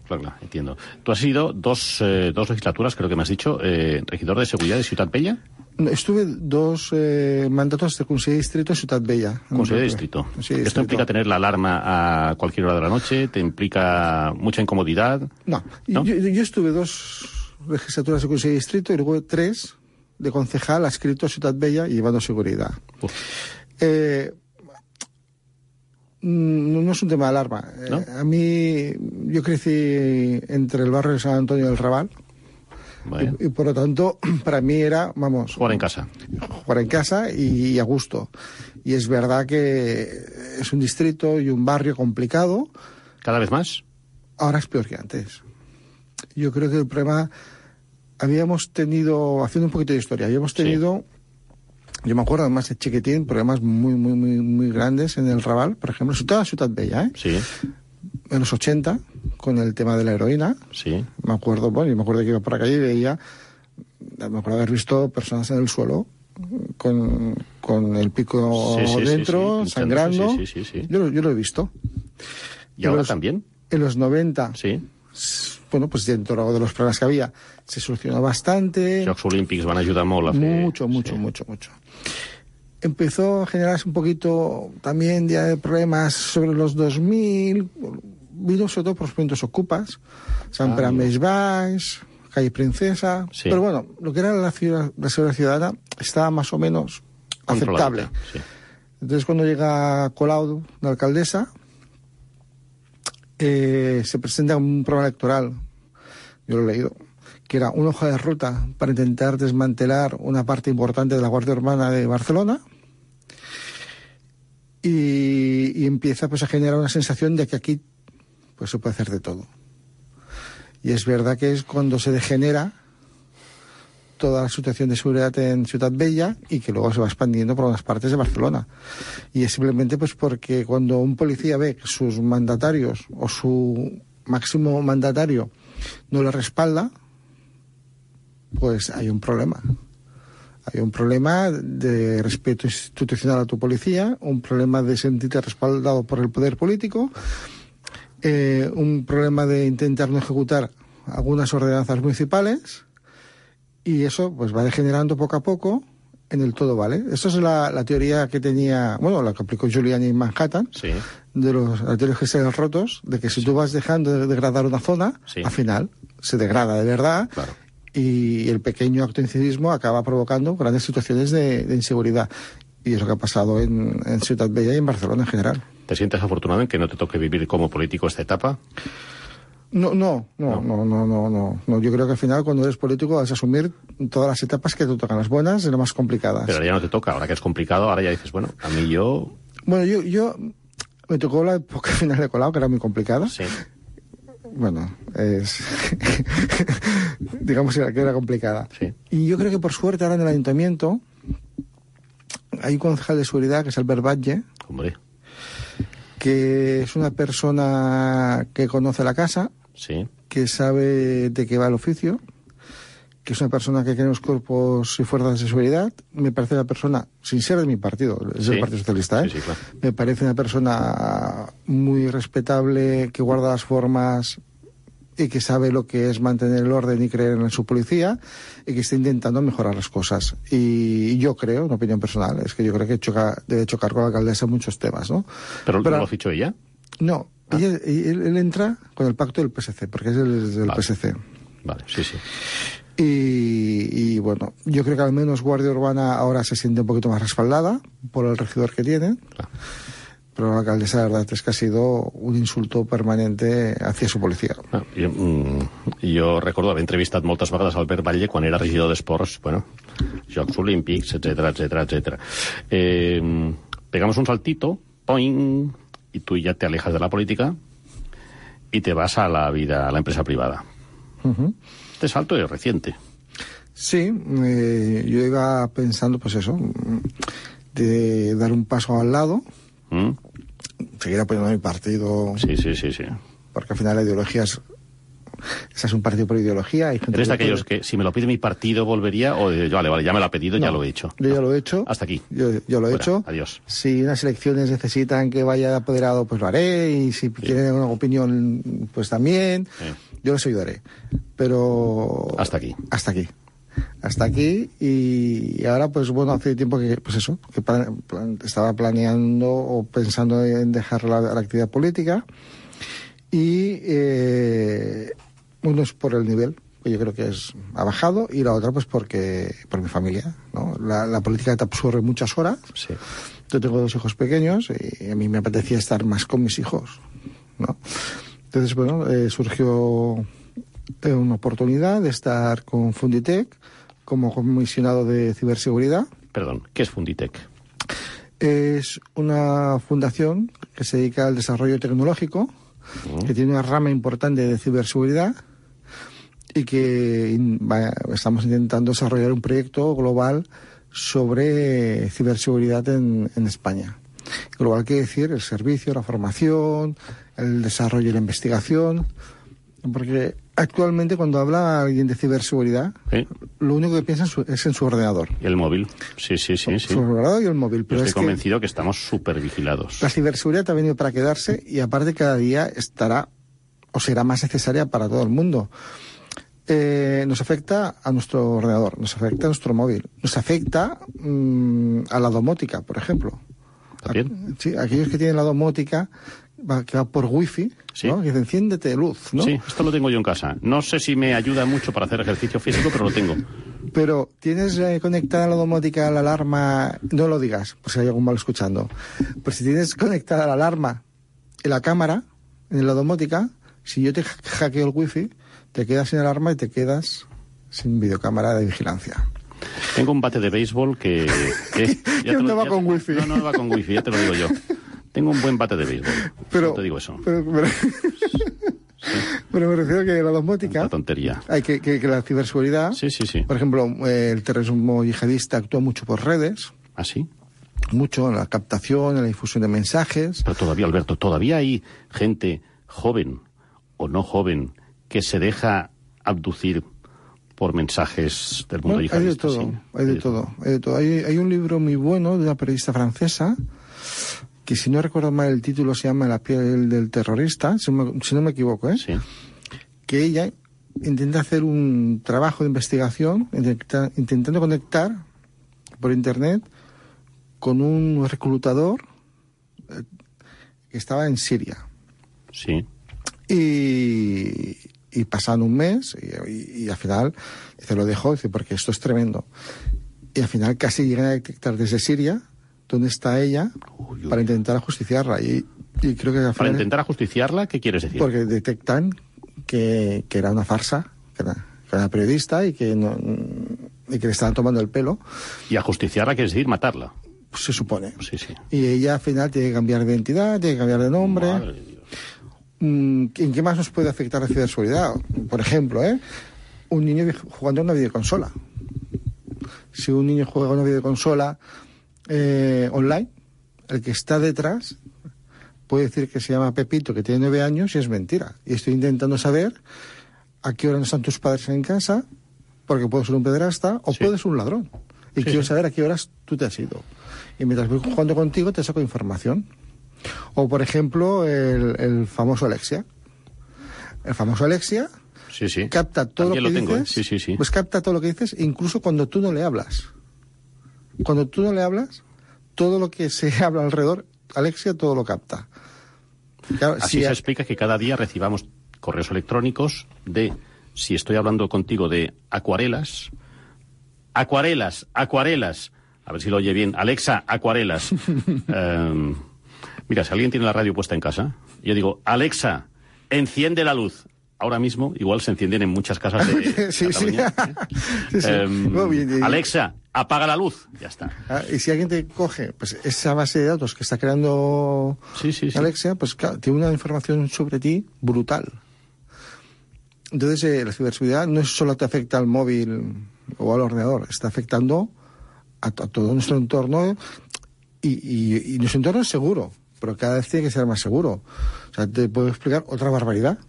Claro, entiendo. Tú has sido dos legislaturas, creo que me has dicho, regidor de seguridad de Ciutat Bella. Estuve 2 mandatos de conseller de distrito en Ciutat Bella. Conseller de distrito. Sí, ¿esto implica tener la alarma a cualquier hora de la noche? ¿Te implica mucha incomodidad? No. Yo estuve 2 legislaturas de conseller de distrito y luego 3 de concejal adscrito a Ciutat Bella y llevando seguridad. No es un tema de alarma. ¿No? A mí, yo crecí entre el barrio de San Antonio y el Raval. Bueno. Y por lo tanto, para mí era, jugar en casa. Jugar en casa y a gusto. Y es verdad que es un distrito y un barrio complicado. ¿Cada vez más? Ahora es peor que antes. Yo creo que el problema... Habíamos tenido, haciendo un poquito de historia, yo me acuerdo además de chiquitín, problemas muy grandes en el Raval, por ejemplo, sobre todo en Ciutat Bella, en los 80, con el tema de la heroína. Me acuerdo que iba por la calle y veía, me acuerdo haber visto personas en el suelo con el pico dentro, sangrando. Yo lo he visto. ¿Y ahora también? En los 90. Bueno, pues dentro de los problemas que había, se solucionó bastante. Los Juegos Olímpics van a ayudar mucho. Mucho. Empezó a generarse un poquito también ya de problemas sobre los 2000, vino sobre todo por los movimientos ocupas, Sant Pere més Baix, Calle Princesa, pero bueno, lo que era la seguridad ciudadana estaba más o menos aceptable. Entonces cuando llega Colau, la alcaldesa, se presenta un programa electoral, yo lo he leído, que era una hoja de ruta para intentar desmantelar una parte importante de la Guardia Urbana de Barcelona, y empieza pues a generar una sensación de que aquí pues se puede hacer de todo. Y es verdad que es cuando se degenera toda la situación de seguridad en Ciutat Bella y que luego se va expandiendo por unas partes de Barcelona. Y es simplemente pues porque cuando un policía ve que sus mandatarios o su máximo mandatario no le respalda, pues hay un problema. Hay un problema de respeto institucional a tu policía, un problema de sentirte respaldado por el poder político un problema de intentar no ejecutar algunas ordenanzas municipales, y eso pues va degenerando poco a poco en el todo vale. Esa es la teoría que tenía, bueno, la que aplicó Giuliani en Manhattan, de los teorías gestuales rotos, de que si tú vas dejando de degradar una zona, al final se degrada de verdad, y el pequeño acto de incivismo acaba provocando grandes situaciones de inseguridad. Y es lo que ha pasado en Ciutat Bella y en Barcelona en general. ¿Te sientes afortunado en que no te toque vivir como político esta etapa? No. Yo creo que al final, cuando eres político, vas a asumir todas las etapas que te tocan, las buenas y las más complicadas. Pero ya no te toca, ahora que es complicado, ahora ya dices, bueno, a mí yo... Bueno, yo me tocó la época final de Colau, que era muy complicada. Sí. Bueno, digamos que era complicada. Sí. Y yo creo que por suerte ahora en el ayuntamiento hay un concejal de seguridad, que es Albert Batlle. Hombre. Que es una persona que conoce la casa, que sabe de qué va el oficio, que es una persona que tiene los cuerpos y fuerzas de seguridad. Me parece una persona, sin ser de mi partido, es del Partido Socialista, claro. Me parece una persona muy respetable, que guarda las formas y que sabe lo que es mantener el orden y creer en su policía, y que está intentando mejorar las cosas. Y yo creo, una opinión personal, es que yo creo que debe chocar con la alcaldesa en muchos temas, ¿no? ¿Pero no lo fichó ella? No, él entra con el pacto del PSC, porque es del PSC. Vale, sí. Y bueno, yo creo que al menos Guardia Urbana ahora se siente un poquito más respaldada por el regidor que tiene. Claro. Pero la alcaldesa, la verdad, es que ha sido un insulto permanente hacia su policía. Jo recordo haver entrevistat moltes vegades a Albert Batlle quan era regidor d'Esports, bueno, Jocs Olímpics, etcétera. Pegamos un saltito, poing, y tú ya te alejas de la política y te vas a la vida, a la empresa privada. Este salto es reciente. Sí, yo iba pensando, pues eso, de dar un paso al lado, seguir apoyando a mi partido. Sí. Porque al final la ideología es un partido por ideología. ¿Eres de aquellos que si me lo pide mi partido volvería o vale, ya me lo ha pedido, ya lo he hecho? Yo ya lo he hecho. Hasta aquí. Yo lo he hecho. Adiós. Si unas elecciones necesitan que vaya apoderado, pues lo haré. Y si tienen una opinión, pues también. Yo les ayudaré. Pero... Hasta aquí. Hasta aquí, y ahora pues bueno, hace tiempo que pues eso, que estaba planeando o pensando en dejar la actividad política, y uno es por el nivel, que yo creo que ha bajado, y la otra pues por mi familia, ¿no? La política te absorbe muchas horas. Sí. Yo tengo 2 hijos pequeños y a mí me apetecía estar más con mis hijos, ¿no? Entonces bueno, surgió una oportunidad de estar con Funditec como comisionado de ciberseguridad. Perdón, ¿qué es Funditec? Es una fundación que se dedica al desarrollo tecnológico, que tiene una rama importante de ciberseguridad, y que estamos intentando desarrollar un proyecto global sobre ciberseguridad en España. Global quiere decir el servicio, la formación, el desarrollo y la investigación, porque actualmente cuando habla alguien de ciberseguridad, lo único que piensa es en su ordenador. Y el móvil, sí. Su ordenador y el móvil. Pero estoy convencido que estamos súper vigilados. La ciberseguridad ha venido para quedarse, y aparte cada día estará o será más necesaria para todo el mundo. Nos afecta a nuestro ordenador, nos afecta a nuestro móvil, nos afecta a la domótica, por ejemplo. ¿También? Sí, aquellos que tienen la domótica que va por wifi, ¿no? Que dice, enciéndete luz, ¿no? Sí, esto lo tengo yo en casa. No sé si me ayuda mucho para hacer ejercicio físico, pero lo tengo. Pero tienes conectada la domótica, la alarma, no lo digas, por si hay algún mal escuchando. Pues si tienes conectada la alarma y la cámara en la domótica, si yo te hackeo el wifi, te quedas sin alarma y te quedas sin videocámara de vigilancia. Tengo un bate de béisbol que no va con wifi. No va con wifi, ya te lo digo yo. Tengo un buen bate de béisbol. Pero, no te digo eso. Pero me refiero que la domótica... Una tontería. Hay que la ciberseguridad... Sí. Por ejemplo, el terrorismo yihadista actúa mucho por redes. ¿Ah, sí? Mucho en la captación, en la difusión de mensajes. Pero todavía, Alberto, todavía hay gente joven o no joven que se deja abducir por mensajes del mundo yihadista. Hay de todo. Hay un libro muy bueno de una periodista francesa que si no recuerdo mal el título se llama La piel del terrorista, si no me equivoco, ¿eh? Sí. Que ella intenta hacer un trabajo de investigación intentando conectar por internet con un reclutador que estaba en Siria. Sí. Y pasan un mes y al final se lo dejó, dice, porque esto es tremendo. Y al final casi llegan a detectar desde Siria dónde está ella para intentar ajusticiarla. Y creo que al final, ¿para intentar ajusticiarla? ¿Qué quieres decir? Porque detectan que era una farsa, que era periodista y que le estaban tomando el pelo. ¿Y ajusticiarla quiere decir matarla? Pues se supone. Sí, sí. Y ella al final tiene que cambiar de identidad, tiene que cambiar de nombre. Madre de Dios. ¿En qué más nos puede afectar la ciberseguridad? Por ejemplo, un niño jugando a una videoconsola. Si un niño juega a una videoconsola online, el que está detrás puede decir que se llama Pepito, que tiene 9 años, y es mentira. Y estoy intentando saber a qué hora no están tus padres en casa, porque puedo ser un pederasta o puedes ser un ladrón. Y quiero saber a qué horas tú te has ido. Y mientras voy jugando contigo te saco información. O, por ejemplo, el famoso Alexia. El famoso Alexia capta todo lo que dices. Pues capta todo lo que dices, incluso cuando tú no le hablas. Cuando tú no le hablas, todo lo que se habla alrededor, Alexia todo lo capta. Claro, así se explica que cada día recibamos correos electrónicos de, si estoy hablando contigo de acuarelas, a ver si lo oye bien, Alexa, acuarelas. Mira, si alguien tiene la radio puesta en casa, yo digo, Alexa, enciende la luz. Ahora mismo, igual se encienden en muchas casas de Cataluña. Alexa, apaga la luz. Ya está. Y si alguien te coge pues esa base de datos que está creando Alexia, pues claro, tiene una información sobre ti brutal. Entonces, la ciberseguridad no solo te afecta al móvil o al ordenador, está afectando a todo nuestro entorno y nuestro entorno es seguro, pero cada vez tiene que ser más seguro. O sea, te puedo explicar otra barbaridad.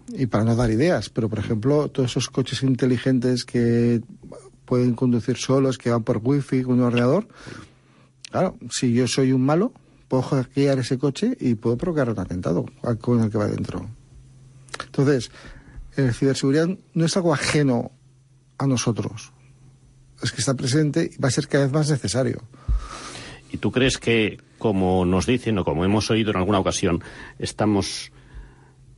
Y para no dar ideas, pero por ejemplo, todos esos coches inteligentes que pueden conducir solos, que van por wifi con un ordenador, claro, si yo soy un malo, puedo hackear ese coche y puedo provocar un atentado con el que va dentro. Entonces, la ciberseguridad no es algo ajeno a nosotros, es que está presente y va a ser cada vez más necesario. ¿Y tú crees que, como nos dicen o como hemos oído en alguna ocasión, estamos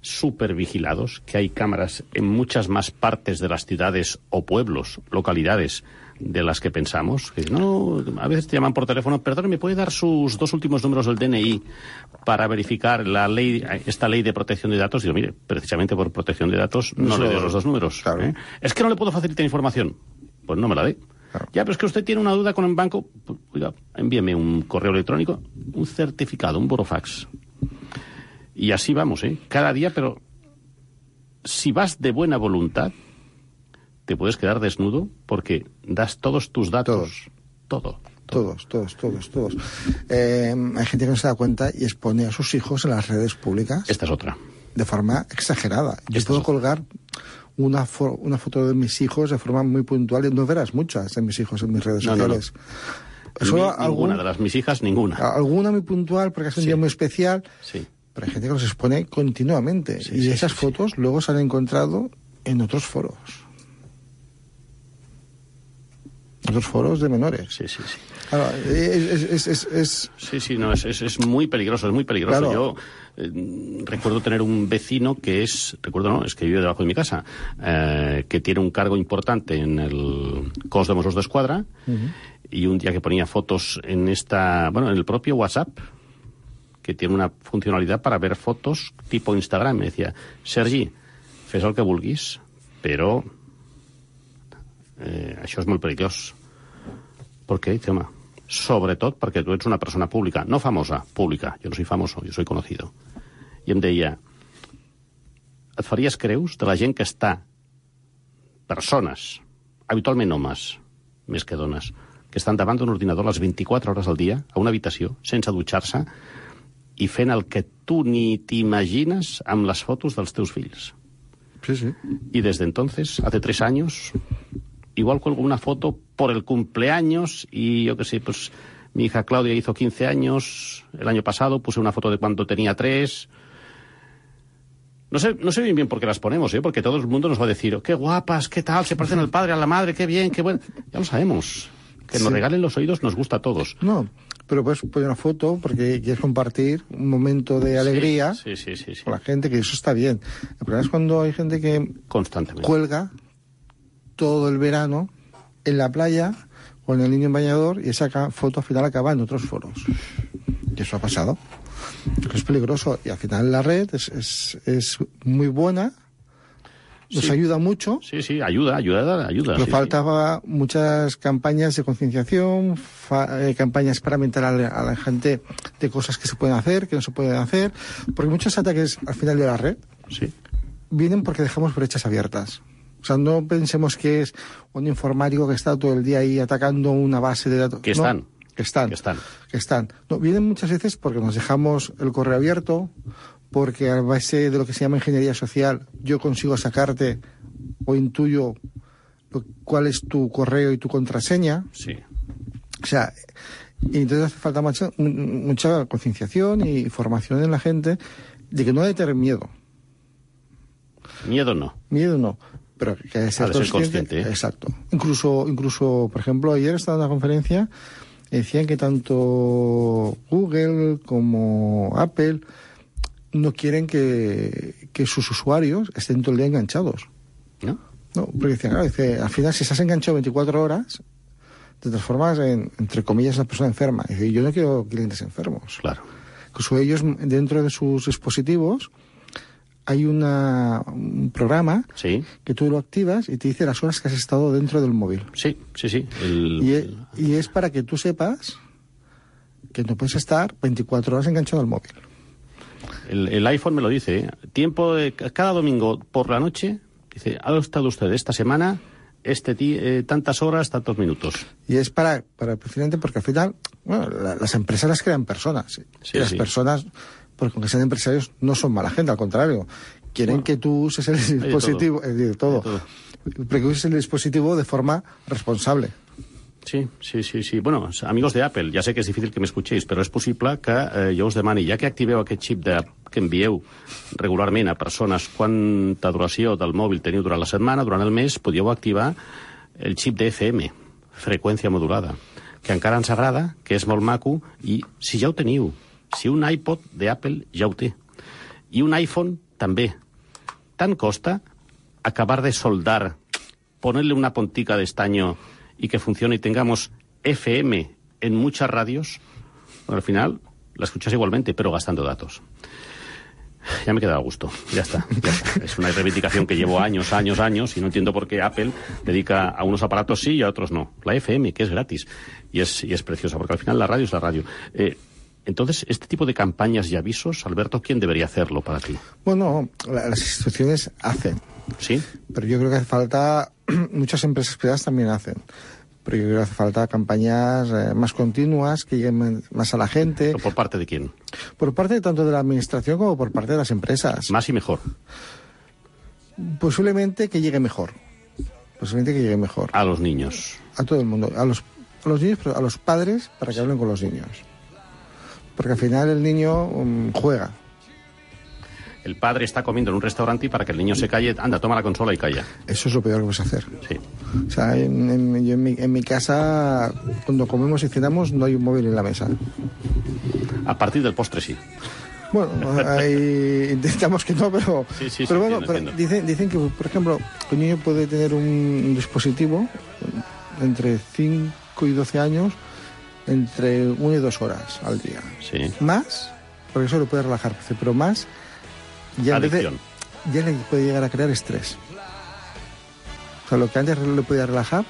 súper vigilados, que hay cámaras en muchas más partes de las ciudades o pueblos, localidades, de las que pensamos? Que no, a veces te llaman por teléfono, perdón, ¿me puede dar sus 2 últimos números del DNI para verificar esta ley de protección de datos? Digo, mire, precisamente por protección de datos no le doy los 2 números. Claro. Es que no le puedo facilitar información. Pues no me la dé. Claro. Ya, pero es que usted tiene una duda con el banco. Pues, oiga, envíeme un correo electrónico, un certificado, un burofax. Y así vamos, cada día, pero si vas de buena voluntad, te puedes quedar desnudo porque das todos tus datos. Todos. Hay gente que no se da cuenta y expone a sus hijos en las redes públicas. Esta es otra. De forma exagerada. Yo puedo colgar una foto de mis hijos de forma muy puntual y no verás muchas de mis hijos en mis redes sociales. No. Ninguna de mis hijas, ninguna. Alguna muy puntual porque es un día muy especial. Sí. Pero hay gente que los expone continuamente. Y esas fotos luego se han encontrado en otros foros. Otros foros de menores. Sí. Claro, es muy peligroso, es muy peligroso. Claro. Yo recuerdo tener un vecino que es que vive debajo de mi casa, que tiene un cargo importante en el Cos de Mossos d'Esquadra, y un día que ponía fotos en el propio WhatsApp, que tiene una funcionalidad para ver fotos tipo Instagram, me decía, Sergi, fes el que vulguis, però això és molt perillós. ¿Por qué? Dice, home, sobretot perquè tu ets una persona pública, no famosa, pública. Jo no soy famoso, jo soy conocido. I em deia, et faries creus de la gent que està, persones, habitualment homes, més que dones, que estan davant d'un ordinador les 24 hores al dia, a una habitació, sense dutxar-se, i fent el que tu ni t'imagines amb les fotos dels teus fills. Sí. Y desde entonces, hace 3 años, igual cuelgo una foto por el cumpleaños y yo qué sé, pues Mi hija Claudia hizo 15 años el año pasado, puse una foto de cuando tenía 3. No sé bien por qué las ponemos, porque todo el mundo nos va a decir, qué guapas, qué tal, se parecen al padre, a la madre, qué bien, qué bueno. Ya lo sabemos. Que nos regalen los oídos nos gusta a todos. No, pero puedes poner una foto porque quieres compartir un momento de alegría con la gente, que eso está bien. El problema es cuando hay gente que constantemente cuelga todo el verano en la playa con el niño en bañador y esa foto al final acaba en otros foros. Y eso ha pasado. Es peligroso. Y al final la red es muy buena. Nos ayuda mucho. Sí, ayuda. Pero faltaba muchas campañas de concienciación, campañas para mentar a la gente de cosas que se pueden hacer, que no se pueden hacer, porque muchos ataques al final de la red vienen porque dejamos brechas abiertas. O sea, no pensemos que es un informático que está todo el día ahí atacando una base de datos. Que están. No, vienen muchas veces porque nos dejamos el correo abierto, porque a base de lo que se llama ingeniería social yo consigo sacarte o intuyo cuál es tu correo y tu contraseña. Sí. O sea, y entonces hace falta mucha concienciación y formación en la gente de que no debe tener miedo. Miedo no, pero que hay que ser consciente. Exacto. Incluso, por ejemplo, ayer estaba en una conferencia, decían que tanto Google como Apple no quieren que sus usuarios estén todo el día enganchados. ¿No? No, porque decían, al final si estás enganchado 24 horas, te transformas en, entre comillas, una persona enferma. Y dice, yo no quiero clientes enfermos. Claro. Incluso ellos, dentro de sus dispositivos, hay un programa que tú lo activas y te dice las horas que has estado dentro del móvil. Sí. Y es para que tú sepas que no puedes estar 24 horas enganchado al móvil. El iPhone me lo dice, tiempo de cada domingo por la noche, dice, ha estado usted esta semana tantas horas, tantos minutos. Y es para precisamente porque al final, bueno, las empresas las crean personas. Y las personas, porque aunque sean empresarios, no son mala gente, al contrario. Quieren que tú uses el dispositivo, de todo. Porque uses el dispositivo de forma responsable. Sí. Bueno, amigos de Apple, ja sé que és difícil que m'escoltéis, però és possible que jo us demani, ja que activeu aquest xip que envieu regularment a persones quanta duració del mòbil teniu durant la setmana, durant el mes, podíeu activar el xip de FM, freqüència modulada, que encara ens agrada, que és molt maco, i si ja ho teniu, si un iPod d'Apple ja ho té, i un iPhone també, tant costa acabar de soldar, ponerle una puntica de estaño y que funcione y tengamos FM en muchas radios, bueno, al final la escuchas igualmente, pero gastando datos. Ya me he quedado a gusto, ya está. Es una reivindicación que llevo años y no entiendo por qué Apple dedica a unos aparatos sí y a otros no. La FM, que es gratis y es preciosa, porque al final la radio es la radio. Entonces, este tipo de campañas y avisos, Alberto, ¿quién debería hacerlo para ti? Bueno, las instituciones hacen. ¿Sí? Pero yo creo que hace falta, muchas empresas privadas también hacen, pero yo creo que hace falta campañas más continuas, que lleguen más a la gente. ¿Pero por parte de quién? Por parte tanto de la administración como por parte de las empresas. Más y mejor. Posiblemente que llegue mejor. A los niños. A todo el mundo. A los niños, pero a los padres para que hablen con los niños. Porque al final el niño juega. El padre está comiendo en un restaurante y para que el niño se calle, anda, toma la consola y calla. Eso es lo peor que puedes hacer. Sí. O sea, en mi casa, cuando comemos y cenamos, no hay un móvil en la mesa. A partir del postre, sí. Bueno, intentamos que no, pero... Sí, pero bueno, entiendo. Dicen que, por ejemplo, un niño puede tener un dispositivo entre 5 y 12 años, entre 1 y 2 horas al día. Sí. Más, porque eso lo puede relajar, pero más... Ya adicción. Ya le puede llegar a crear estrés. O sea, lo que antes le podía relajar,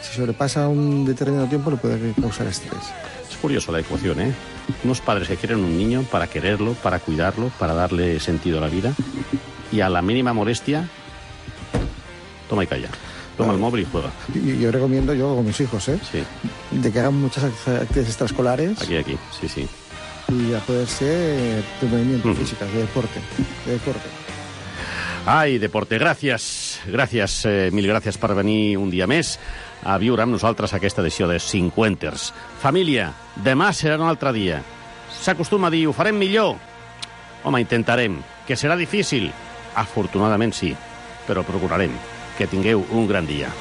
si sobrepasa un determinado tiempo, le puede causar estrés. Es curioso la ecuación, ¿eh? Unos padres que quieren un niño para quererlo, para cuidarlo, para darle sentido a la vida, y a la mínima molestia, toma y calla. Toma el móvil y juega. Yo recomiendo, yo con mis hijos, Sí. de que hagan muchas actividades extraescolares. Aquí, sí. Y a poder ser de movimiento físico, de deporte. Ai, Deporte, gràcies, mil gràcies per venir un dia més a viure amb nosaltres aquesta edició de 50ers. Família, demà serà un altre dia. S'acostuma a dir, ho farem millor. Home, intentarem, que serà difícil. Afortunadament sí, però procurarem. Que tingueu un gran dia.